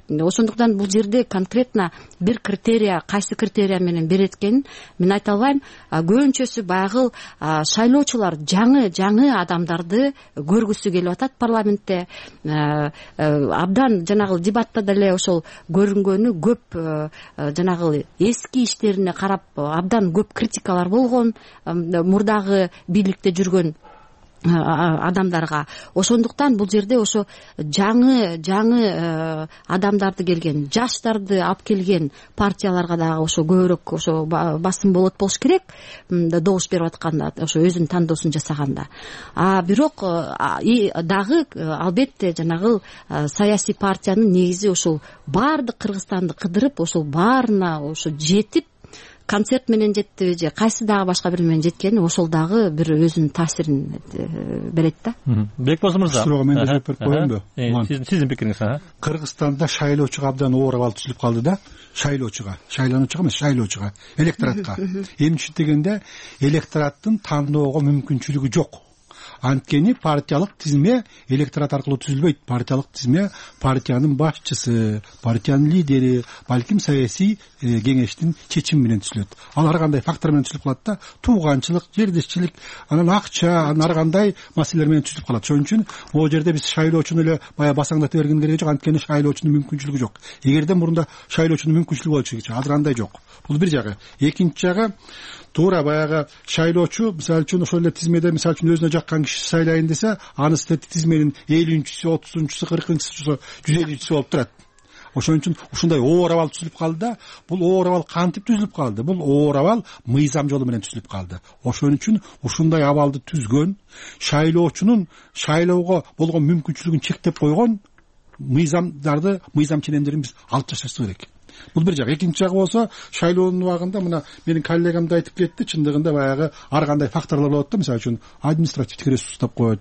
ошондуктан бул жерде конкретно бир критерия, кайсы критерия менен берет экенин мен айта албайм. Көбүнчөсү баягы шайлоочулар жаңы адамдарды көргүсү келип атат парламентте. Абдан жанагы дебатта деле ошол көрүнгөнү көп жанагы эски иштерине карап абдан көп критикалар болгон мурдагы бийликте жүргөн адамдарга. Ошондуктан бул жерде ошо жаңы адамдарды келген, жаштарды алып келген партияларга дагы ошо көбүрөөк ошо басым болот болуш керек добуш берип атканда, ошо өзүнүн тандоосун жасаганда. Бирок дагы албетте жанагы саясий партиянын негизи ошол баардык Кыргызстанды кыдырып, ошол баарына ошо жетип концерт менен жеттиби же кайсы дагы башка бир менен жеткени ошол дагы бир өзүнүн таасирин берет да. Бекбоз мырза, суроо мен да жооп берип коеюнбу? Сиздин пикириңиз? Кыргызстанда шайлоочуга абдан оор абал түзүлүп калды да. Шайлоочуга эмес, шайлоочуга, электоратка. Эмне үчүн дегенде, электораттын тандоого мүмкүнчүлүгү жок. Анткени партиялык тизме электорат аркылуу түзүлбөйт. Партиялык тизме партиянын башчысы, партиянын лидери, балким саясий кеңештин чечими менен түзүлөт. Ал ар кандай фактор менен түзүлүп калат да. Тууганчылык, жердешчилик, анан акча, анан ар кандай маселелер менен түзүлүп калат. Ошон үчүн могу жерде биз шайлоочуну эле баягы басаңдата берген кереги жок. Анткени шайлоочунун мүмкүнчүлүгү жок. Эгерде мурунда шайлоочунун мүмкүнчүлүгү болчу, азыр андай жок. Бул бир жагы. Экинчи жагы, туура баягы шайлоочу мисалы үчүн ошол эле тизмеде мисалы үчүн өзүнө жаккан киши сайлайын десе, анысы тизменин 50-чүсү, 30-чусу, 40-чусу, 150-чүсү болуп турат. Ошон үчүн ушундай оор абал түзүлүп калды да. Бул оор абал кантип түзүлүп калды? Бул оор абал мыйзам жолу менен түзүлүп калды. Ошон үчүн ушундай абалды түзгөн, шайлоочунун шайлоого болгон мүмкүнчүлүгүн чектеп койгон мыйзамдарды, мыйзам ченемдерин биз алып ташташ керек. Бул бир жагы. Экинчи жагы болсо, шайлоонун убагында мына менин коллегам да айтып кетти, чындыгында баягы ар кандай факторлор болот да, мисалы үчүн административдик ресурс деп коет.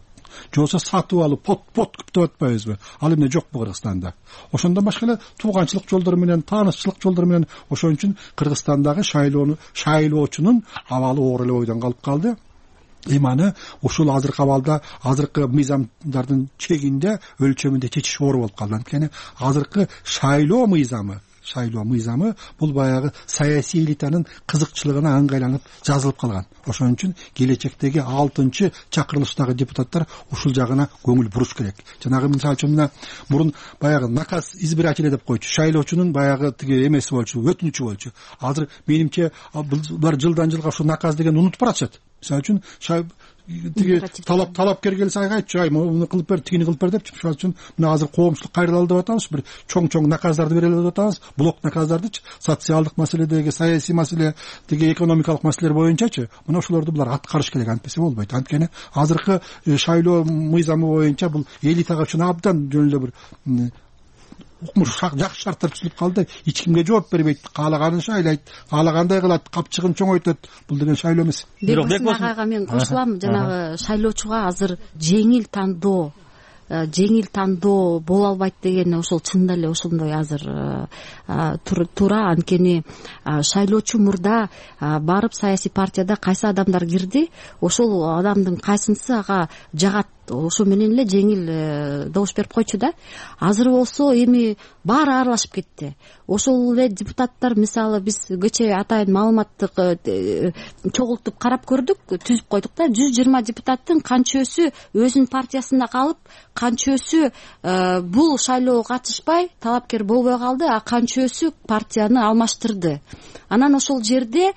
Же болбосо сатып алып, подкуп деп атпайбызбы? Ал эмне жокпу Кыргызстанда? Ошондон башка эле тууганчылык жолдору менен, таанышчылык жолдору менен, ошон үчүн Кыргызстандагы шайлоочунун абалы оор эле бойдон калып калды. Аны ушул азыркы абалда, азыркы мыйзамдардын чегинде, өлчөмүндө чечиш оор болуп калды. Анткени азыркы шайлоо мыйзамы бул баягы саясий элитанын кызыкчылыгына ыңгайланып жазылып калган. Ошон үчүн келечектеги 6-чы чакырылыштагы депутаттар ушул жагына көңүл буруш керек. Жанагы мисалы үчүн мурун баягы наказ избирателя деп койчу, шайлоочунун баягы тиги эмеси болчу, өтүнүчү болчу. Азыр менимче булар жылдан жылга ушу наказ деген унутуп баратышат. Мисалы үчүн тиги талапкер келсе айтчу, муну кылып бер, тигини кылып бер депчи. Ошон үчүн мына азыр коомчулук кайрылалы деп атабыз, бир чоң наказдарды берели деп атабыз. Блок наказдардычы, социалдык маселедеги, саясий маселе, тиги экономикалык маселелер боюнчачы, мына ошолорду булар аткарыш керек, антпесе болбойт. Анткени азыркы шайлоо мыйзамы боюнча бул элитага үчүн абдан жөн эле бир жакшы шарттар түзүлүп калды. Эч кимге жооп бербейт, каалаганын шайлайт, каалагандай кылат, капчыгын чоңойтот. Бул деген шайлоо эмес. Бекбоз агайга мен кошулам. Жанагы шайлоочуга азыр жеңил тандоо боло албайт деген ошол чынында эле ошондой азыр туура. Анткени шайлоочу мурда барып саясий партияда кайсы адамдар кирди, ошол адамдын кайсынысы ага жагат, ошо менен эле жеңил добуш берип койчу да. Азыр болсо эми баары аралашып кетти. Ошол эле депутаттар, мисалы биз кечээ атайын маалыматтык чогултуп карап көрдүк, түзүп койдук да. 120 депутаттын канчөсү өзүнүн партиясында калып, канчөсү бул шайлоого катышпай талапкер болбой калды, а канчөсү партияны алмаштырды. Анан ошол жерде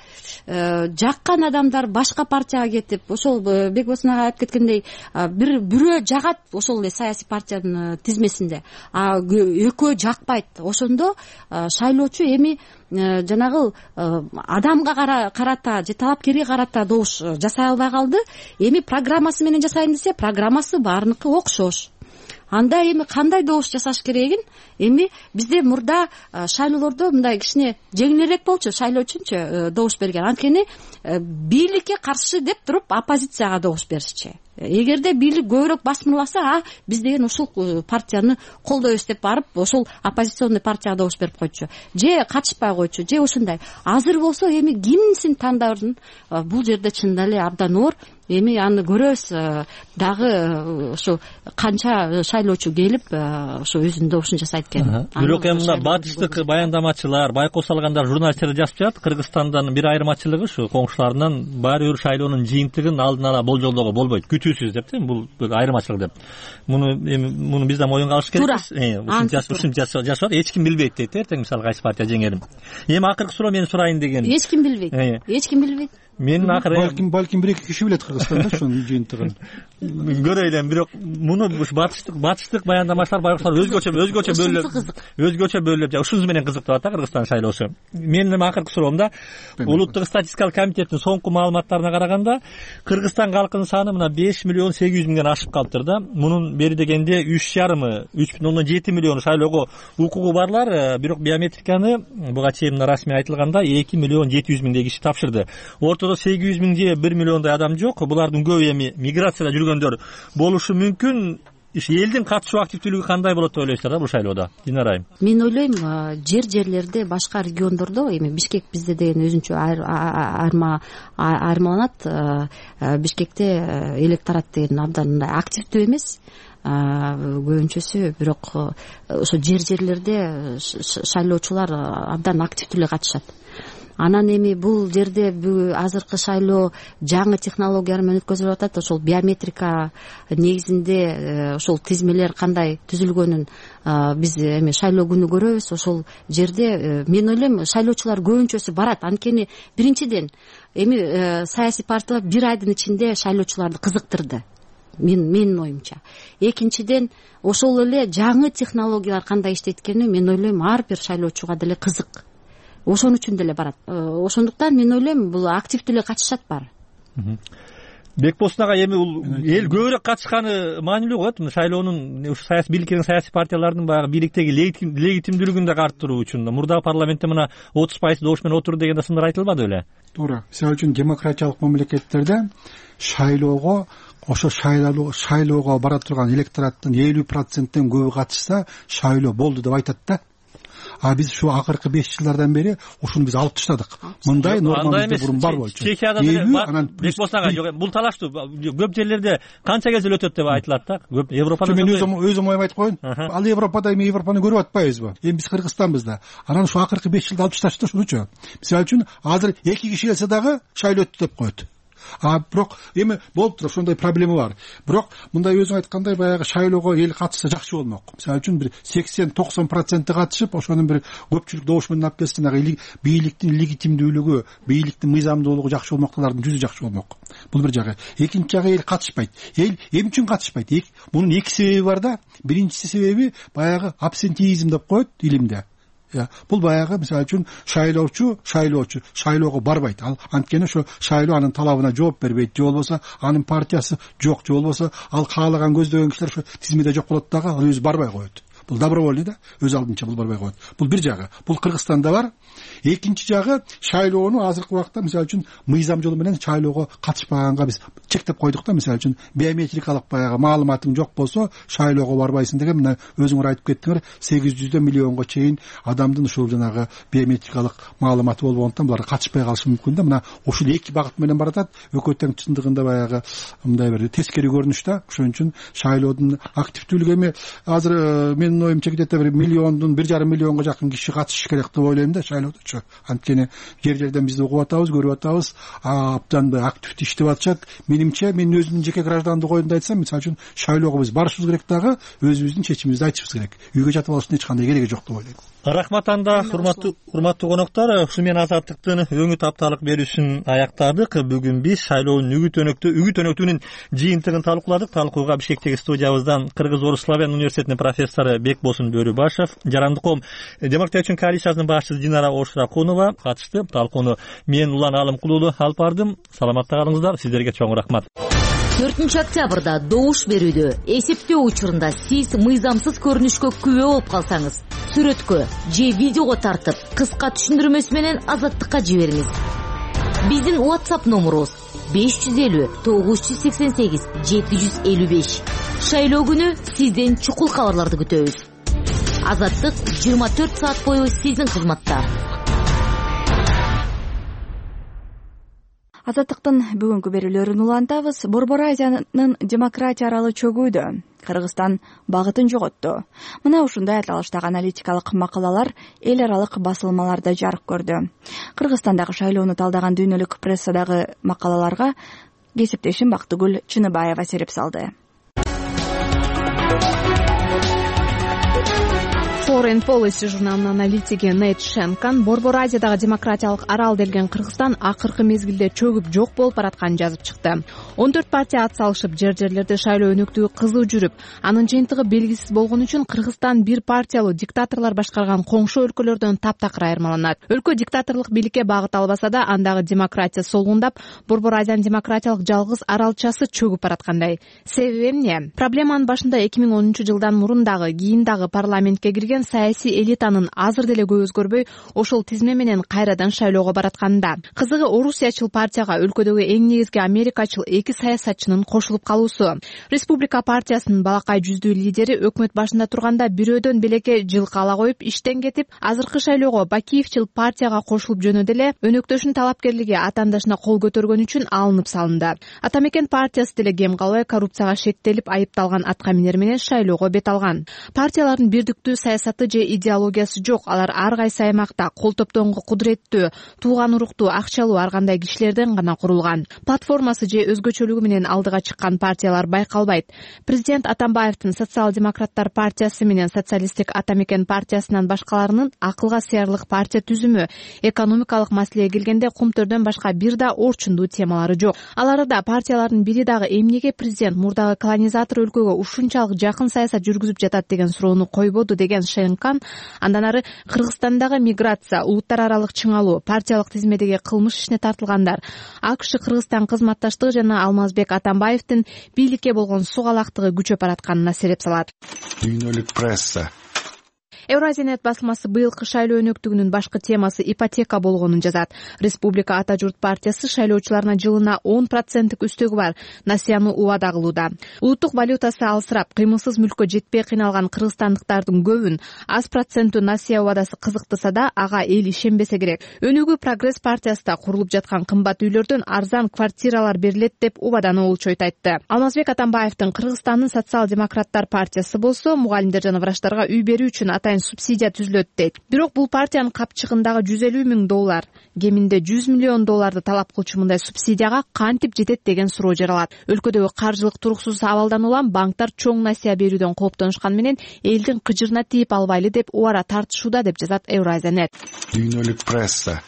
жаккан адамдар башка партияга кетип, ошол Бекбоз ага айтып кеткендей, бирөө жагат ошол эле саясий партиянын тизмесинде, а экөө жакпайт. Ошондо шайлоочу эми жанагы адамга карата же талапкерге карата добуш жасай албай калды. Эми программасы менен жасайын десе, программасы баарыныкы окшош. Анда эми кандай добуш жасаш керегин эми бизде мурда шайлоолордо мындай кичине жеңилирээк болчу, шайлоо үчүнчү добуш берген. Анткени бийликке каршы деп туруп оппозицияга добуш беришчи. Эгерде бийлик көбүрөөк басмырласа, биз деген ушул партияны колдойбуз деп барып, ошол оппозиционный партияга добуш берип койчу. Же катышпай койчу, же ушундай. Азыр болсо эми кимсин тандардын, бул жерде чынында эле абдан оор. Эми аны көрөбүз дагы, ошо канча шайлоочу келип ошо өзүнүн добушун жасайт экен. Бирок эми мына батыштык баяндамачылар, байкоо салгандар, журналисттер жазып жатат, Кыргызстандын бир айырмачылыгы ушу коңшуларынан баары бир шайлоонун жыйынтыгын алдын ала болжолдоого болбойт, күтүүсүз деп, бул бир айырмачылык деп. Муну биз да моюнга алыш керекпиз. Ушинтип жашап, эч ким билбейт дейт, эртең мисалы кайсы партия жеңерин. Эми акыркы суроо мен сурайын деген. Эч ким билбейт. Менин акыры балким 1-2 киши билет Кыргызстанда ошонун жыйынтыгын. Көрөй элем, бирок муну батыштык баяндамачылар байкушлар өзгөчө бөлүп ушунусу менен кызыктап атат Кыргызстан шайлоосу. Менин акыркы суроомда улуттук статистикалык комитеттин соңку маалыматтарына караганда Кыргызстан калкынын саны мына 5.800.000ден ашып калыптыр да. Мунун бери дегенде 3,7 миллион шайлоого укугу барлар, бирок биометриканы буга чейин расмий айтылганда 2.700.000 киши тапшырды. Ортодо 800.000 же 1 миллиондой адам жок. Булардын көбү эми миграцияда жүргөндөр болушу мүмкүн. Элдин катышуу активдүүлүгү кандай болот деп ойлойсуздар бул шайлоодо? Динара айым. Мен ойлойм, жерлерде башка региондордо эми Бишкек бизде деген өзүнчө айырмаланат. Бишкекте электорат деген абдан активдүү эмес. Көбүнчөсү, бирок ошо жерлерде шайлоочулар абдан активдүү эле катышат. Анан эми бул жерде азыркы шайлоо жаңы технологиялар менен өткөзүлүп атат. Ошол биометрика негизинде ошол тизмелер кандай түзүлгөнүн биз эми шайлоо күнү көрөбүз. Ошол жерде мен ойлойм шайлоочулар көбүнчөсү барат. Анткени биринчиден эми саясий партиялар 1 айдын ичинде шайлоочуларды кызыктырды. Менин оюмча. Экинчиден ошол эле жаңы технологиялар кандай иштейт экени мен ойлойм ар бир шайлоочуга деле кызык. Ошон үчүн деле барат. Ошондуктан мен ойлойм бул активдүү эле катышат баары. Бекболсун ага, эми бул эл көбүрөөк катышканы маанилүү коет. Шайлоонун саясий бийликтердин, саясий партиялардын баягы бийликтеги легитимдүүлүгүн да арттыруу үчүн мурдагы парламентте мына 30% добуш менен отурду деген да сындар айтылбады беле? Туура. Мисалы үчүн демократиялык мамлекеттерде шайлоого бара турган электораттын 50%ден көбү катышса шайлоо болду деп айтат да. Биз ушу акыркы 5 жылдардан бери ушуну биз алып таштадык. Мындай норма бизде бурун бар болчу. Чехияда Бекболсун бул талаштуу көп жерлерде канча кезде өтөт деп айтылат да. Көп Европада. Мен өзүм оюм айтып коеюн. Ал Европада эми Европаны көрүп атпайбызбы? Эми биз Кыргызстанбыз да. Анан ушу акыркы 5 жылда алып ташташты ушунучу. Мисалы үчүн азыр 2 киши келсе дагы шайлоо өттү деп коет. Бирок эми болуп туруп ошондой проблема бар. Бирок мындай өзүң айткандай баягы шайлоого эл катышса жакшы болмок. Мисалы үчүн бир 80-90% катышып, ошонун бир көпчүлүк добуш менен алып келсе, бийликтин легитимдүүлүгү, бийликтин мыйзамдуулугу жакшы болмоктолордун жүзү жакшы болмок. Бул бир жагы. Экинчи жагы эл катышпайт. Эл эмне үчүн катышпайт? Мунун 2 себеби бар да. Биринчиси себеби баягы абсентеизм деп коет илимде. Бул баягы мисалы үчүн шайлоочу шайлоого барбайт. Ал анткени ошо шайлоо анын талабына жооп бербейт, же болбосо анын партиясы жок, же болбосо ал каалаган көздөгөн кишилер ошо тизмеде жок болот дагы, ал өзү барбай коет. Бул добровольный да, өз алдынча бул барбай коет. Бул бир жагы. Бул Кыргызстанда бар. Экинчи жагы шайлоону азыркы убакта мисалы үчүн мыйзам жолу менен шайлоого катышпаганга биз чектеп койдук да. Мисалы үчүн биометрикалык баягы маалыматың жок болсо шайлоого барбайсың деген мына өзүңөр айтып кеттиңер, 800 миллионго чейин адамдын ушул жанагы биометрикалык маалыматы болбогондуктан булар катышпай калышы мүмкүн да. Мына ушул 2 багыт менен баратат. Экөө тең чындыгында баягы мындай бир тескери көрүнүш да. Ошон үчүн шайлоодун активдүүлүгү эми азыр менин оюмча где-то 1,5 миллионго жакын киши катышыш керек деп ойлойм да шайлоодочу. Анткени жер-жерден бизди угуп атабыз, көрүп атабыз, абдан активдүү иштеп атышат. Менимче, мен өзүмдүн жеке граждандык оюмду айтсам, мисалы үчүн шайлоого биз барышыбыз керек дагы, өзүбүздүн чечимибизди айтышыбыз керек. Үйгө жатып алыштын эч кандай кереги жок деп ойлойм. Рахмат анда, урматтуу коноктор. Ушу менен Азаттыктын өңү тапталык берүүсүн аяктадык. Бүгүн биз шайлоонун үгүт өнөктүгүнүн жыйынтыгын талкууладык. Талкууга Бишкектеги студиябыздан Кыргыз-Орус славян университетинин профессору Бекболсун Бөрүбашев, Жарандык коом демократия үчүн коалициясынын башчысы Динара Ошуракунова катышты. Талкууну мен Улан Алымкулуулу алып бардым. Саламатта калыңыздар. Сиздерге чоң рахмат. 4-октябрда добуш берүүдө эсептөө учурунда сиз мыйзамсыз көрүнүшкө күбө болуп калсаңыз, сүрөткө же видеого тартып, кыска түшүндүрмөсү менен Азаттыкка жибериңиз. Биздин WhatsApp номерубуз 550 988 755. Шайлоо күнү сизден чукул кабарларды күтөбүз. Азаттык 24 саат бою сиздин кызматта. Азаттыктын бүгүнкү берүүлөрүн улантабыз. Борбор Азиянын демократия аралы чөгүүдө. Кыргызстан багытын жоготту. Мына ушундай аталыштагы аналитикалык макалалар эл аралык басылмаларда жарык көрдү. Кыргызстандагы шайлоону талдаган дүйнөлүк прессадагы макалаларга кесиптешим Бактыгүл Чыныбаева сереп салды. Foreign Policy журналынын аналитиги Нейт Шенкан Борбор Азиядагы демократиялык арал делген Кыргызстан акыркы мезгилде чөгүп жок болуп баратканын жазып чыкты. 14 партия ат салышып, жер-жерлерде шайлоо өнөктүгү кызуу жүрүп, анын жыйынтыгы белгисиз болгон үчүн Кыргызстан бир партиялуу диктаторлор башкарган коңшу өлкөлөрдөн таптакыр айырмаланат. Өлкө диктаторлук бийликке багыт албаса да, андагы демократия солгундап, Борбор Азиянын демократиялык жалгыз аралчасы чөгүп бараткандай. Себеби эмне? Проблеманын башында 2010-жылдан мурун дагы, кийин дагы парламентке кирген саясий элитанын азыр деле көп өзгөрбөй, ошол тизме менен кайрадан шайлоого баратканында. Кызыгы Орусиячыл партияга өлкөдөгү эң негизги америкачыл эки саясатчынын кошулуп калуусу. Республика партиясынын балакай жүздүү лидери өкмөт башында турганда бирөөдөн белекке жылкы ала коюп, иштен кетип, азыркы шайлоого Бакиевчил партияга кошулуп жөнөдү эле өнөктөшүнүн талапкерлиги атаандашына кол көтөргөн үчүн алынып салынды. Атамекен партиясы деле кем калбай коррупцияга шектелип айыпталган аткаминер менен шайлоого бет алган. Партиялардын бирдиктүү саясаты же идеологиясы жок. Алар ар кайсы аймакта кол топтогонго кудуреттүү, тууган уруктуу, акчалуу ар кандай кишилерден гана курулган. Платформасы же өзгөчөлүгү менен алдыга чыккан партиялар байкалбайт. Президент Атамбаевдин Социал-демократтар партиясы менен Социалисттик Атамекен партиясынан башкаларынын акылга сыярлык партия түзүмү, экономикалык маселеге келгенде кумтөрдөн башка бир да орчундуу темалары жок. Аларда партиялардын бири дагы эмнеге президент мурдагы колонизатор өлкөгө ушунчалык жакын саясат жүргүзүп жатат деген суроону койбоду деген Шенкан. Андан ары Кыргызстандагы миграция, улуттар аралык чыңалуу, партиялык тизмедеги кылмыш ишине тартылгандар, АКШ Кыргызстан кызматташтыгы жана Алмазбек Атамбаевдин бийликке болгон сугалактыгы күчөп баратканына сереп салат. Дүйнөлүк пресса. Евразиянет басылмасы быйылкы шайлоо өнөктүгүнүн башкы темасы ипотека болгонун жазат. Республика Ата журт партиясы шайлоочуларына жылына 10% үстөгү бар насыяны убада кылууда. Улуттук валютасы алсырап, кыймылсыз мүлккө жетпей кыйналган кыргызстандыктардын көбүн аз проценттүү насыя убадасы кызыктырса да, ага эл ишенбесе керек. Өнүгүү Прогресс партиясында курулуп жаткан кымбат үйлөрдөн арзан квартиралар берилет деп убаданы олчойт айтты. Алмазбек Атамбаевдин Кыргызстандын Социал-демократтар партиясы болсо, мугалимдер жана врачтарга үй берүү үчүн атайын субсидия түзүлөт дейт. Бирок бул партиянын капчыгындагы $150,000, кеминде $100 миллион талап кылчу мындай субсидияга кантип жетет деген суроо жаралат. Өлкөдөгү каржылык туруксуз абалдан улам банктар чоң насыя берүүдөн кооптонушкан менен элдин кыжырына тийип албайлы деп убара тартышууда деп жазат Евразиянет. Дүйнөлүк пресса.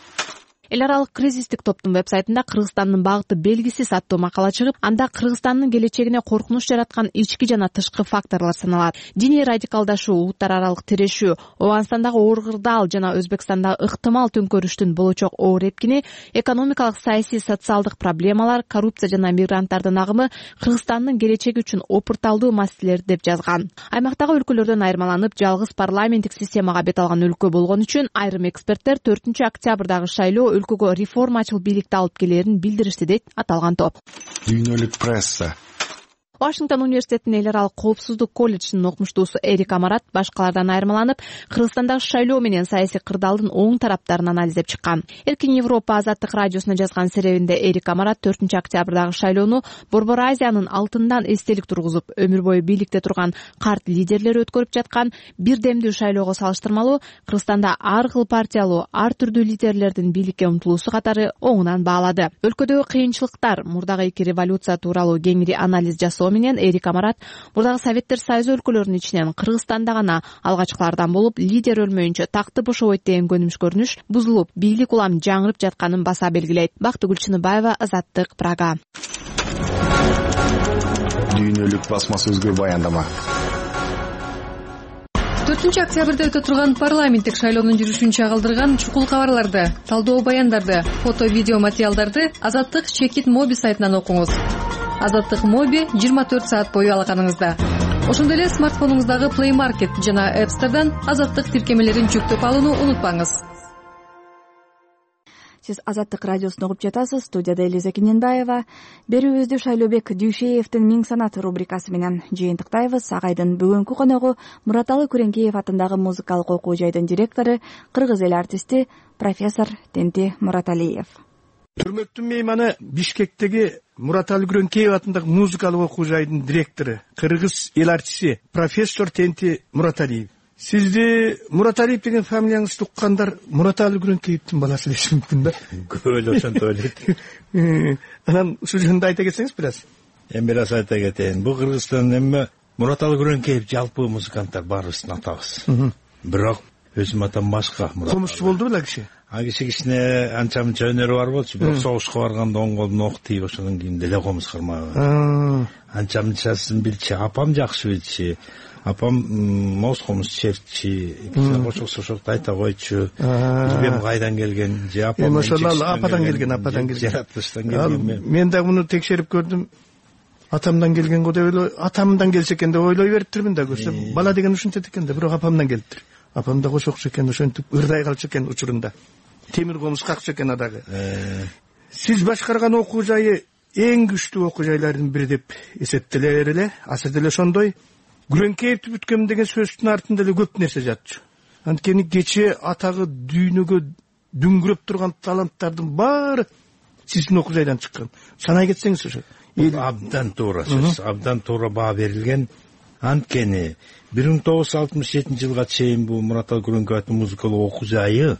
Эл аралык кризистик топтун вебсайтында Кыргызстандын багыты белгисиз аттуу макала чыгып, анда Кыргызстандын келечегине коркунуч жараткан ички жана тышкы факторлор саналат. Диний радикалдашуу, улуттар аралык тирешүү, Ооганстандагы оор кырдаал жана Өзбекстандагы ыктымал төңкөрүштүн болочок оор эпкини, экономикалык, саясий, социалдык проблемалар, коррупция жана мигранттардын агымы Кыргызстандын келечеги үчүн опурталдуу маселелер деп жазган. Аймактагы өлкөлөрдөн айырмаланып, жалгыз парламенттик системага бет алган өлкө болгон үчүн айрым эксперттер 4 октябрдагы шайлоо өлкөгө реформачыл бийликти алып келерин билдиришти дейт аталган топ. Дүйнөлүк пресса. Вашингтон университетинин эл аралык коопсуздук колледжинин окумуштуусу Эрик Амарат башкалардан айырмаланып, Кыргызстандагы шайлоо менен саясий кырдаалдын оң тараптарын анализдеп чыккан. Эркин Европа азаттык радиосуна жазган серебинде Эрик Амарат 4 октябрдагы шайлоону Борбор Азиянын алтындан эстелик тургузуп, өмүр бою бийликте турган карт лидерлер өткөрүп жаткан бир демдүү шайлоого салыштырмалуу Кыргызстанда ар кыл партиялуу, ар түрдүү лидерлердин бийликке умтулуусу катары оңунан баалады. Өлкөдөгү кыйынчылыктар, мурдагы эки революция тууралуу кеңири анализ жасоо менен Эрик Амарат мурдагы Советтер Союзу өлкөлөрүнүн ичинен Кыргызстанда гана алгачкылардан болуп, лидер өлмөйүнчө такты бошобойт деген көрүнүш бузулуп, бийлик улам жаңырып жатканын баса белгилейт. Бактыгүл Чыныбаева, Азаттык, Прага. Дүйнөлүк басмасөзгө баяндама. 4 октябрда өтө турган парламенттик шайлоонун жүрүшүн чагылдырган чукул кабарларды, талдоо баяндарды, фото, видео материалдарды Азаттык Чекит Моби сайтынан окуңуз. Азаттык Моби 24 саат бою алаканыңызда. Ошондой эле смартфонуңуздагы Play Market жана App Store'дан Азаттык тиркемелерин жүктөп алууну унутпаңыз. Сиз Азаттык радиосун угуп жатасыз. Студияда Элиза Кененбаева. Берүүбүздү Шайлообек Дүйшеевдин Миң санат рубрикасы менен жыйынтыктайбыз. Агайдын бүгүнкү коногу Мураталы Күреңкеев атындагы музыкалык окуу жайдын директору, кыргыз эл артисти профессор Тенти Мураталиев. Хүрмөктүү мейманы Бишкектеги Мураталы Күреңкеев атындагы музыкалык окуу жайдын директору, кыргыз эл артисти профессор Тенти Мураталиев. Сизди Мураталиев деген фамилияңызды уккандар Мураталы Күреңкеевдин баласы деши мүмкүн да? Көп эле ошентип ойлойт. Анан ушул жөнүндө айта кетсеңиз бир аз. Эми бир аз айта кетейин. Бул Кыргызстандын эми Мураталы Күреңкеев жалпы музыканттар баарыбыздын атабыз. бирок өзүм атам башка. Комузчу болду беле киши? А кичине анча мынча өнөрү бар болчу, бирок согушка барганда оң колдун оку тийип ошондон кийин деле комуз кармаган. Анча мынчасын билчи. Апам жакшы билчи. Апам моз комуз чертчи, кошоксо ошокто айта койчу. Билбейм кайдан келген, же апам ошол ападан келген. Жаратылыштан келген. Мен дагы муну текшерип көрдүм. Атамдан келген го деп атамдан келсе экен деп ойлой бериптирмин да, көрсөм бала деген ушинтет экен да, бирок апамдан келиптир. Апам да кошокчу экен, ошентип ырдай калчу экен учурунда. Темир комуз какчу экен адагы. Сиз башкарган окуу жайы эң күчтүү окуу жайлардын бири деп эсептелер эле. Азыр деле ошондой. Күрөңкеевди бүткөм деген сөздүн артында эле көп нерсе жатчу. Анткени кечээ атагы дүйнөгө дүңгүрөп турган таланттардын баары сиздин окуу жайдан чыккан. Санай кетсеңиз ошо. Абдан туура сөз, абдан туура баа берилген. Анткени 1967-жылга чейин бул Мураталы Күрөңкеевдин музыкалык окуу жайы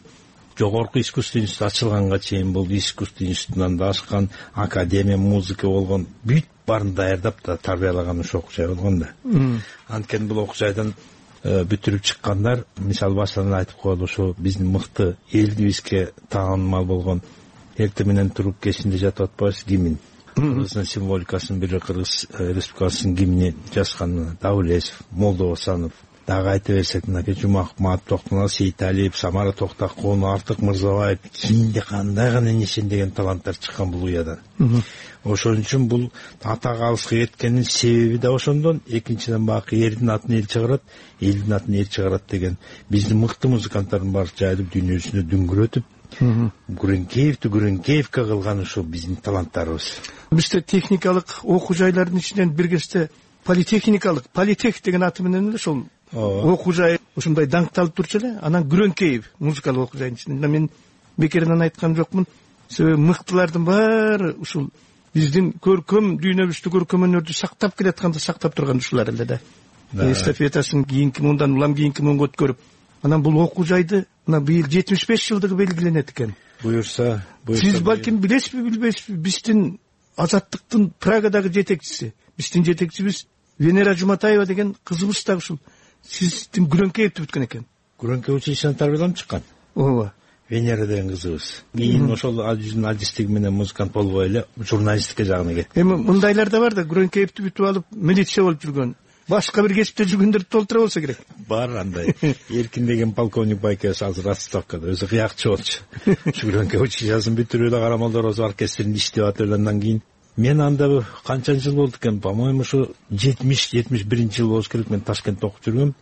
жогорку искусство институту ачылганга чейин бул искусство институтунан да ашкан академия музыка болгон бүт баарын даярдап да тарбиялаган ошол окуу жай болгон да. Анткени бул окуу жайдан бүтүрүп чыккандар, мисалы башынан айтып коелу, ошо биздин мыкты элибизге таанымал болгон эртең менен туруп кечинде жатып атпайбыз гимн. Кыргыздын символикасынын бири Кыргыз Республикасынын гимни жазган Давлесов, Молдосанов, дагы айта берсек мынакей Жумаков, Маат Токтонал, Сейиталиев, Самара Токтакун, Артык Мырзабаев, кийинде кандай гана нишендеген таланттар чыккан бул уядан. Ошон үчүн бул атага алыска кеткенин себеби да ошондон. Экинчиден баакы эрдин атын эл чыгарат, элдин атын эл чыгарат деген биздин мыкты музыканттардын баары жайылып дүйнө жүзүндө дүңгүрөтүп Күрөңкеевди Күрөңкеевке кылган ушул биздин таланттарыбыз. Бизде техникалык окуу жайлардын ичинен бир кезде политехникалык, политех деген аты менен эле ошол окуу жай ушундай даңкталып турчу эле. Анан Күрөңкеев музыкалык окуу жайдын ичинде мен бекеринен айткан жокмун. Себеби мыктылардын баары ушул биздин көркөм дүйнөбүздү, көркөм өнөрдү сактап келатканды сактап турган ушулар эле да. Эстафетасын кийинки мындан улам кийинки муңга өткөрүп, анан бул окуу жайды мына быйыл 75 жылдыгы белгиленет экен. Буюрса. Сиз балким билесизби, билбейсизби, биздин азаттыктын Прагадагы жетекчиси, биздин жетекчибиз Венера Жуматаева деген кызыбыз да ушул сиздин Күрөңкеевди бүткөн экен. Күрөңкеев училищеден тарбияланып чыккан. Ооба. Венера деген кызыбыз. Кийин ошол жүзүнүн артисттиги менен музыкант болбой эле журналистика жагына кетти. Эми мындайлар да бар да, Күрөңкеевди бүтүп алып милиция болуп жүргөн, башка бир кесипте жүргөндөрдү толтура болсо керек. Бар андай. Эркин деген полковник байкебиз азыр отставкада, өзү кыякчы болчу. Күрөңкеев училищесын бүтүрүп эле Карамолдор оркестринде иштеп атып андан кийин мен анда канча жыл болду экен, по-моему, ушу 70-71 жыл болуш керек. Мен Ташкентте окуп жүргөм,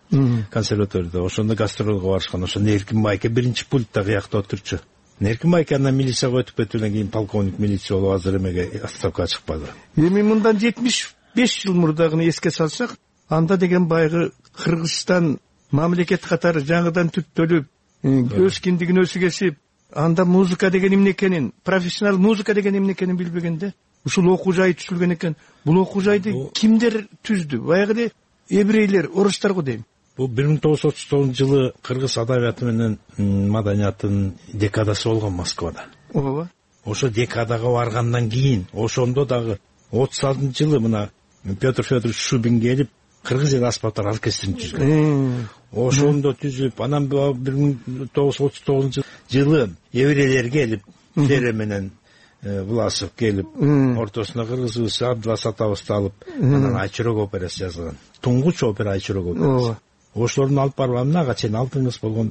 консерваторияда. Ошондо гастролго барышкан. Ошондо Эркин байке биринчи пультта кыякта отурчу. Эркин байке андан милицияга өтүп кетүүдөн кийин полковник милиция болуп азыр эмеге отставкага чыкпады. Эми мындан 75 жыл мурдагыны эске салсак, анда деген байгы Кыргызстан мамлекет катары жаңыдан түптөлүп, өз киндигин өзү кесип, анда музыка деген эмне экенин, профессионал музыка деген эмне экенин билбегенде ушул окуу жай түзүлгөн экен. Бул окуу жайды кимдер түздү? Баягы эле еврейлер, орустар го дейм. Бул 1939-жылы кыргыз адабияты менен маданиятынын декадасы болгон Москвада. Ооба. Ошо декадага баргандан кийин, ошондо дагы 36-жылы мына Петр Федорович Шубин келип кыргыз эл аспаптар оркестрин түзгөн. Ошондо түзүп, анан 1939-жылы еврейлер келип, Фере менен Власов келип, ортосуна кыргызыбыз Абдылас атабызды алып, анан Айчурок операсы жазган. Туңгуч опера Айчурок операсы. Ошолордун алып барып, ага чейин алтын кыз болгон.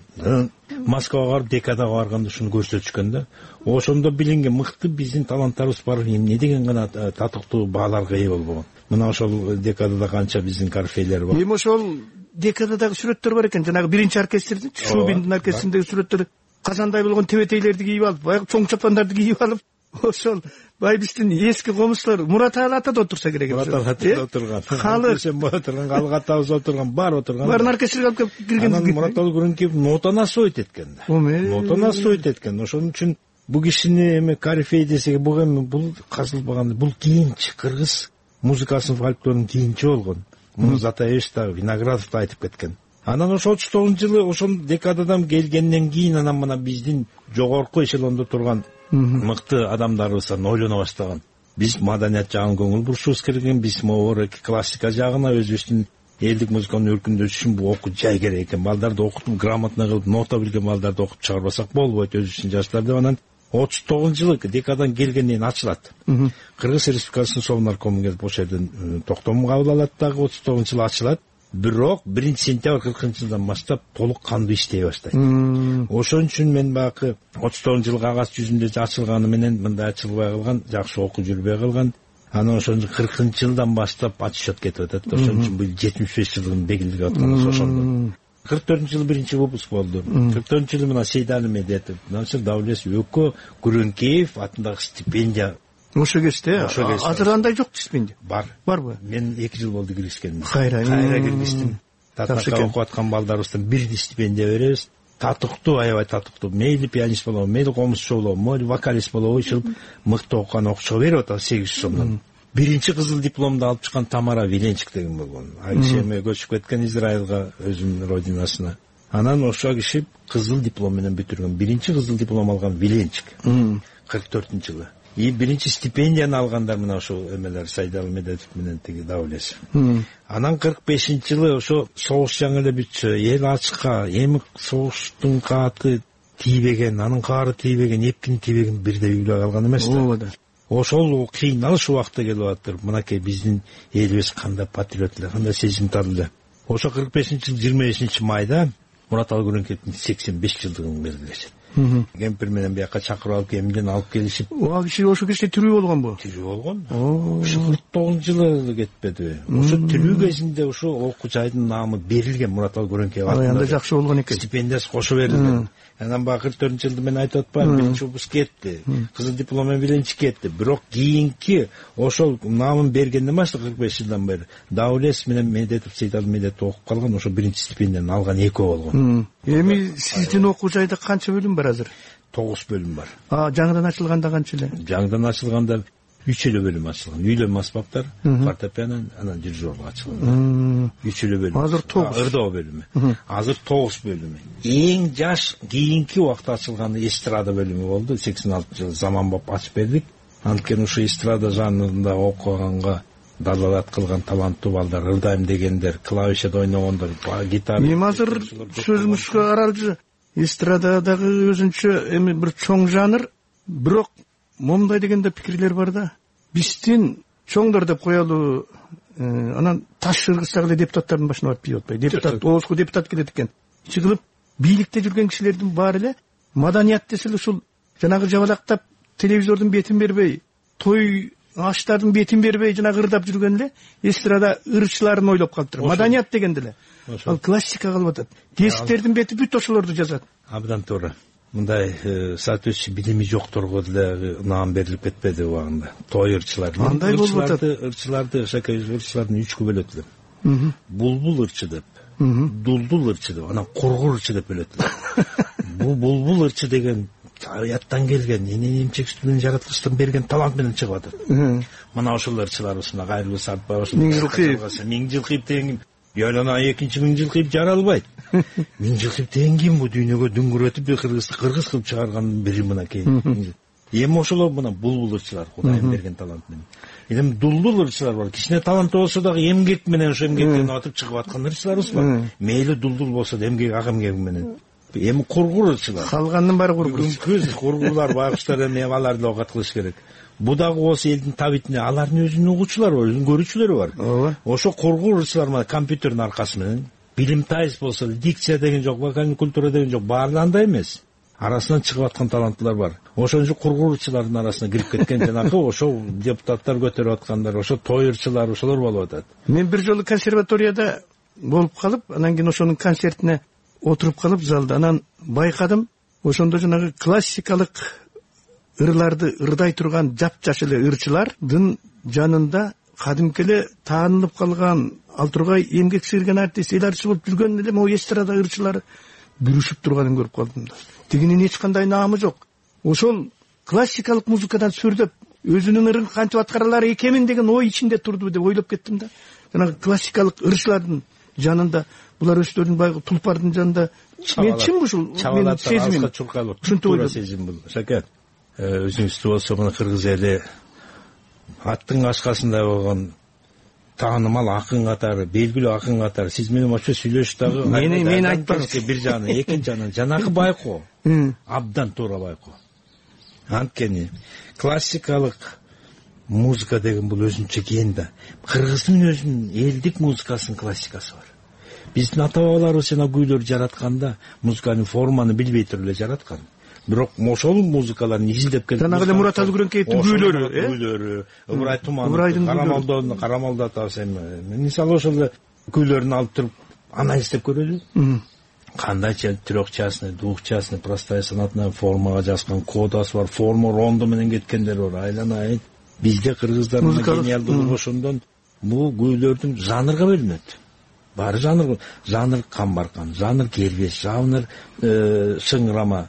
Москвага барып, декадага барганда ушуну көрсөтүшкөн да. Ошондо билинген мыкты биздин таланттарыбыз бар, эмне деген гана татыктуу бааларга ээ болбогон. Мына ошол декадада канча биздин корфейлер бар. Эми ошол декададагы сүрөттөр бар экен, жанагы биринчи оркестрдин, Шубиндин оркестриндеги сүрөттөр казандай болгон тебетейлерди кийип алып, баягы чоң чапандарды кийип алып, ошол бай биздин эски комузчулар Мураталы ата да отурса керек. Мураталы ата да отурган. Халык отурган, халык атабыз отурган, бар отурган. Барын оркестрге алып кирген. Анан Мураталы Күрөңкеев нотанасы ойт эткен да. Нотанасы ойт эткен. Ошон үчүн бул кишини эми корифей десек, бул казылбаган, бул кийинчи кыргыз музыкасынын фольклорунун кийинчи болгон. Муну Затаевич да, Виноградов да айтып кеткен. Анан ошол 39-жылы ошол декададан келгенден кийин анан мына биздин жогорку эшелондо турган мыкты адамдарыбыз ойлоно баштаган. Биз маданият жагына көңүл бурушубуз керек, биз могу классика жагына, өзүбүздүн элдик музыканын өркүндөшү үчүн бул окуу жай керек экен. Балдарды окутуп, грамотно кылып, нота билген балдарды окуп чыгарбасак болбойт, өзүбүздүн жаштар деп. Анан 39-жылы декадан келгенден ачылат. Кыргыз Республикасынын Совнаркому келип ошол жерден токтом кабыл алат дагы 39-жылы ачылат. Бирок 1-сентябрь 40-жылдан баштап толук кандуу иштей баштайт. Ошон үчүн мен баягы 39-жылы кагаз жүзүндө ачылганы менен мындай ачылбай калган, жакшы окуу жүрбөй калган. Анан ошон 40-жылдан баштап отчет кетип атат. Ошон үчүн бул 75 жылдын белгилеп атканы ошондо. 44-жылы биринчи выпуск болду. 44-жылы мына Сейдали Медетов, Насыр Давлес Өкө Күрөңкеев атындагы стипендия. Ошо кезде азыр андай жок стипендия. Барбы? Мен 2 жыл болду киришкениме. Кайра киргиздим. Татыкта окуп аткан балдарыбыздан бирди стипендия беребиз. Татыктуу, аябай татыктуу. Мейли пианист болобу, мейли комузчу болобу, мейли вокалист болобу, ушул мыкты окуган окуучуга берип атат 800 сомдон. Биринчи кызыл дипломду алып чыккан Тамара Виленчик деген болгон. Ал киши эми көчүп кеткен Израилга, өзүнүн родинасына. Анан ошол киши кызыл диплом менен бүтүргөн. Биринчи кызыл диплом алган Виленчик 44-жылы. И биринчи стипендияны алгандар мына ошо эмелер Сайдал Медетов менен тиги Давлесов. Анан 45-жылы ошо согуш жаңы эле бүтчү, эл ачка, эми согуштун кааты тийбеген, анын каары тийбеген, эпкини тийбеген бирдей үйлөй калган эмес да. Ошол кыйналыш убакта келип атыр. Мынакей биздин элибиз кандай патриот эле, кандай сезимтал эле. Ошо 45-жылы 25 майда Мураталы Күрөңкеевдин 85 жылдыгын белгилешет. Кемпир менен бияка чакырып алып эмден алып келишип. Ага киши ошо кезде тирүү болгонбу? Тирүү болгон. Ошо 49-жылы кетпедиби? Ошо тирүү кезинде ошо окуу жайдын наамы берилген Мураталы Күрөңкеев атында. Анда жакшы болгон экен. Стипендиясы кошо берилген. Анан баягы 44-жылды мен айтып атпайм, биринчи выпуск кетти. Кызыл диплом менен биринчи кетти. Бирок кийинки ошол наамын бергенден баштап 45 жылдан бери Давлес менен Медетов, Сейдал Медетов окуп калган, ошо биринчи стипендияны алган экөө болгон. Эми сиздин окуу жайда канча бөлүм бар азыр? 9 бөлүм бар. Жаңыдан ачылганда канча эле? Жаңыдан ачылганда 3 эле бөлүм ачылган. Үйлөнмө аспаптар, фортепиано, анан дирижерлук ачылган. 3 эле бөлүм. Азыр 9. Ырдоо бөлүмү. Азыр 9 бөлүмү. Эң жаш кийинки убакта ачылганы эстрада бөлүмү болду. 86-жылы Заманбап ачып бердик. Анткени ушу эстрада жанрында окуганга далалат кылган таланттуу балдар, ырдайм дегендер, клавишада ойногондор, гитара. Эми азыр сөзүңүзгө аралжы эстрададагы өзүнчө эми бир чоң жанр, бирок момундай дегенде пикирлер бар да. Биздин чоңдор деп коелу, анан таш ыргызсак эле депутаттардын башына барып тийип атпайбы? Депутат, оозго депутат келет экен. Ичи кылып бийликте жүргөн кишилердин баары эле маданият десе эле ушул жанагы жабалактап телевизордун бетин бербей, той аштардын бетин бербей жанагы ырдап жүргөн эле эстрада ырчыларын ойлоп калыптыр. Маданият дегенде эле. Ал классика калып атат. Тесттердин бети бүт ошолорду жазат. Абдан туура. Мындай соответствующий билими жокторго деле наам берилип кетпеди убагында. Той ырчылар. Андай болуп атат. Ырчыларды ырчылардын 3 бөлөт эле. Булбул ырчы деп, дулдул ырчы деп, анан кургур ырчы деп бөлөт эле. Бул булбул ырчы деген табияттан келген, эненин эмчек-сүтүнөн жараткычтын берген талант менен чыгып атат. Мына ошол ырчыларыбыз, мына Кайрылуу Сартбаев, Миңжилкиев деген Ялана 2-нчи Миңжилкиев жаралбайт. Миңжилкиев деген ким бу дүйнөгө дүңгүрөтүп кыргыз кылып чыгарган бири мынакей. Эми ошолор мына булбул ырчылар, Кудайым берген талант менен. Эми дулдул ырчылар бар. Кичине таланттуу болсо дагы эмгек менен ошо эмгектен атып чыгып аткан ырчыларыбыз бар. Мейли дулдул болсо да эмгек ак эмгеги менен. Эми кургур ырчылар. Калгандын баары кургур. Кургурлар, байкуштар эми аларды окат кылыш керек. Бу дагы болсо элдин табитине алардын өзүнүн угуучулары бар, өзүнүн көрүүчүлөрү бар. Ошо кургур ырчылар менен компьютердин аркасы менен билимтайыз болсо, дикция деген жок, вокальный культура деген жок, баары андай эмес. Арасынан чыгып аткан таланттуулар бар. Ошон үчүн кургур ырчылардын арасына кирип кеткен жанагы ошо депутаттар көтөрүп аткандар, ошо той ырчылары ошолор болуп атат. Мен бир жолу консерваторияда болуп калып, анан кийин ошонун концертине отуруп калып залда, анан байкадым, ошондо жанагы классикалык ырларды ырдай турган жапжаш эле ырчылардын жанында кадимки эле таанылып калган Алтургай эмгек сыйырган артист эл ырчы болуп жүргөн эле могу эстрада ырчылары бүрүшүп турганын көрүп калдым да. Тигинин эч кандай наамы жок. Ошол классикалык музыкадан сүрдөп өзүнүн ырын кантип аткаралар экенмин деген ой ичинде турду деп ойлоп кеттим да. Жанагы классикалык ырчылардын жанында булар өздөрүнүн баягы тулпардын жанында мен чын ушул менин сезимим. Туура сезим бул. Шаке, өзүңүздү болсо мына кыргыз эли аттын кашкасында болгон таанымал акын катары, белгилүү акын катары сиз менен очо сүйлөшүп дагы мени айтпаңыз. Бир жагынан, экинчи жагынан жанагы байкоо абдан туура байкоо. Анткени классикалык музыка деген бул өзүнчө кен да. Кыргыздын өзүнүн элдик музыкасынын классикасы бар. Биздин ата бабаларыбыз жана күүлөр жаратканда музыканын форманы билбей туруп эле жараткан. Бирок ошол музыкаларды изилдеп келип жанагы эле Мураталы Күрөңкеевдин күүлөрү, Ыбырай Туманов, Карамалды атабыз эми. Мисалы ошол эле күүлөрүн алып туруп анализдеп көрөлү. Кандайча трехчастный, двухчастный, простая сонатная формага жазган кодасы бар, форма рондо менен кеткендер бар. Айланайын. Бизде кыргыздардын гениалдуулугу ошондон бул күүлөрдүн жанрга бөлүнөт. Баары жанр камбаркан, жанр кербеш, жанр сыңырама.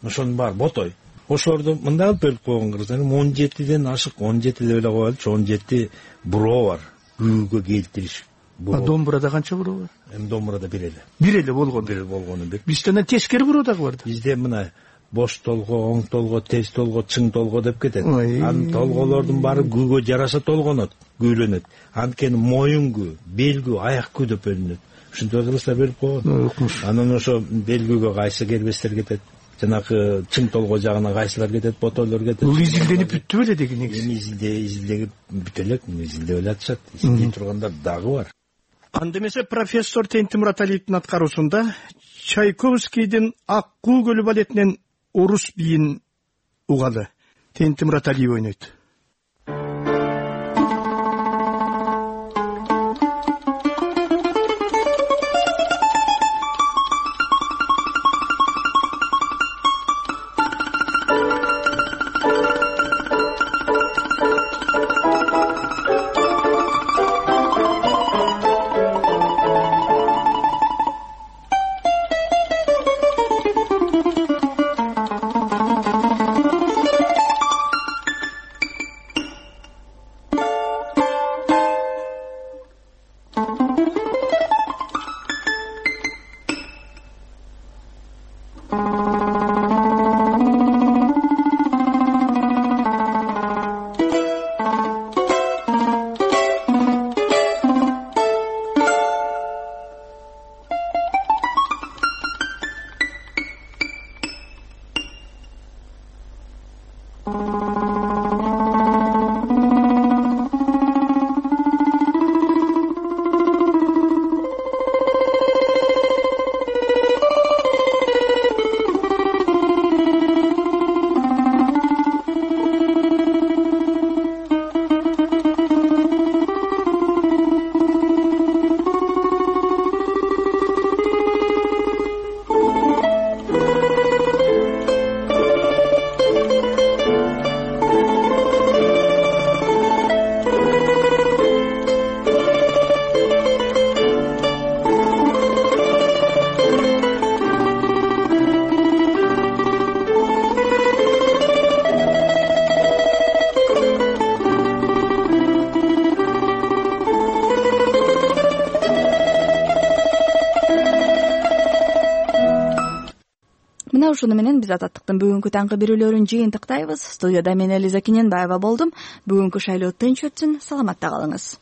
Ошонун баары ботой. Ошолорду мындай кылып бөлүп койгон кыргыздар 17ден ашык, 17 деп эле коелучу, 17 буроо бар. Күүгө келтириш. Домбурада канча буроо бар? Эми домбурада бир эле. Бир эле болгону. Бир болгону бир. Бизден тескери буроо дагы бар да. Бизде мына бош толго, оң толго, тез толго, чың толго деп кетет. Анын толголордун баары күүгө жараша толгонот, күүлөнөт. Анткени моюн күү, бел күү, аяк күү деп бөлүнөт. Ушинтип кыргыздар бөлүп койгон. Анан ошо бел күүгө кайсы кербестер кетет, жанагы чың толго жагына кайсылар кетет, ботойлор кетет. Бул изилденип бүттү беле деген негизи. Эми изилдеп бүтө элек, изилдеп эле атышат. Изилдей тургандар дагы бар. Анда эмесе профессор Тенти Мураталиевдин аткаруусунда Чайковскийдин Ак куу көлү балетинен орус бийин угалы Тенти Мураталиев ойнойт. Ушуну менен биз Азаттыктын бүгүнкү таңкы берүүлөрүн жыйынтыктайбыз. Студияда мен Элиза Кененбаева болдум. Бүгүнкү шайлоо тынч өтсүн, саламатта калыңыз.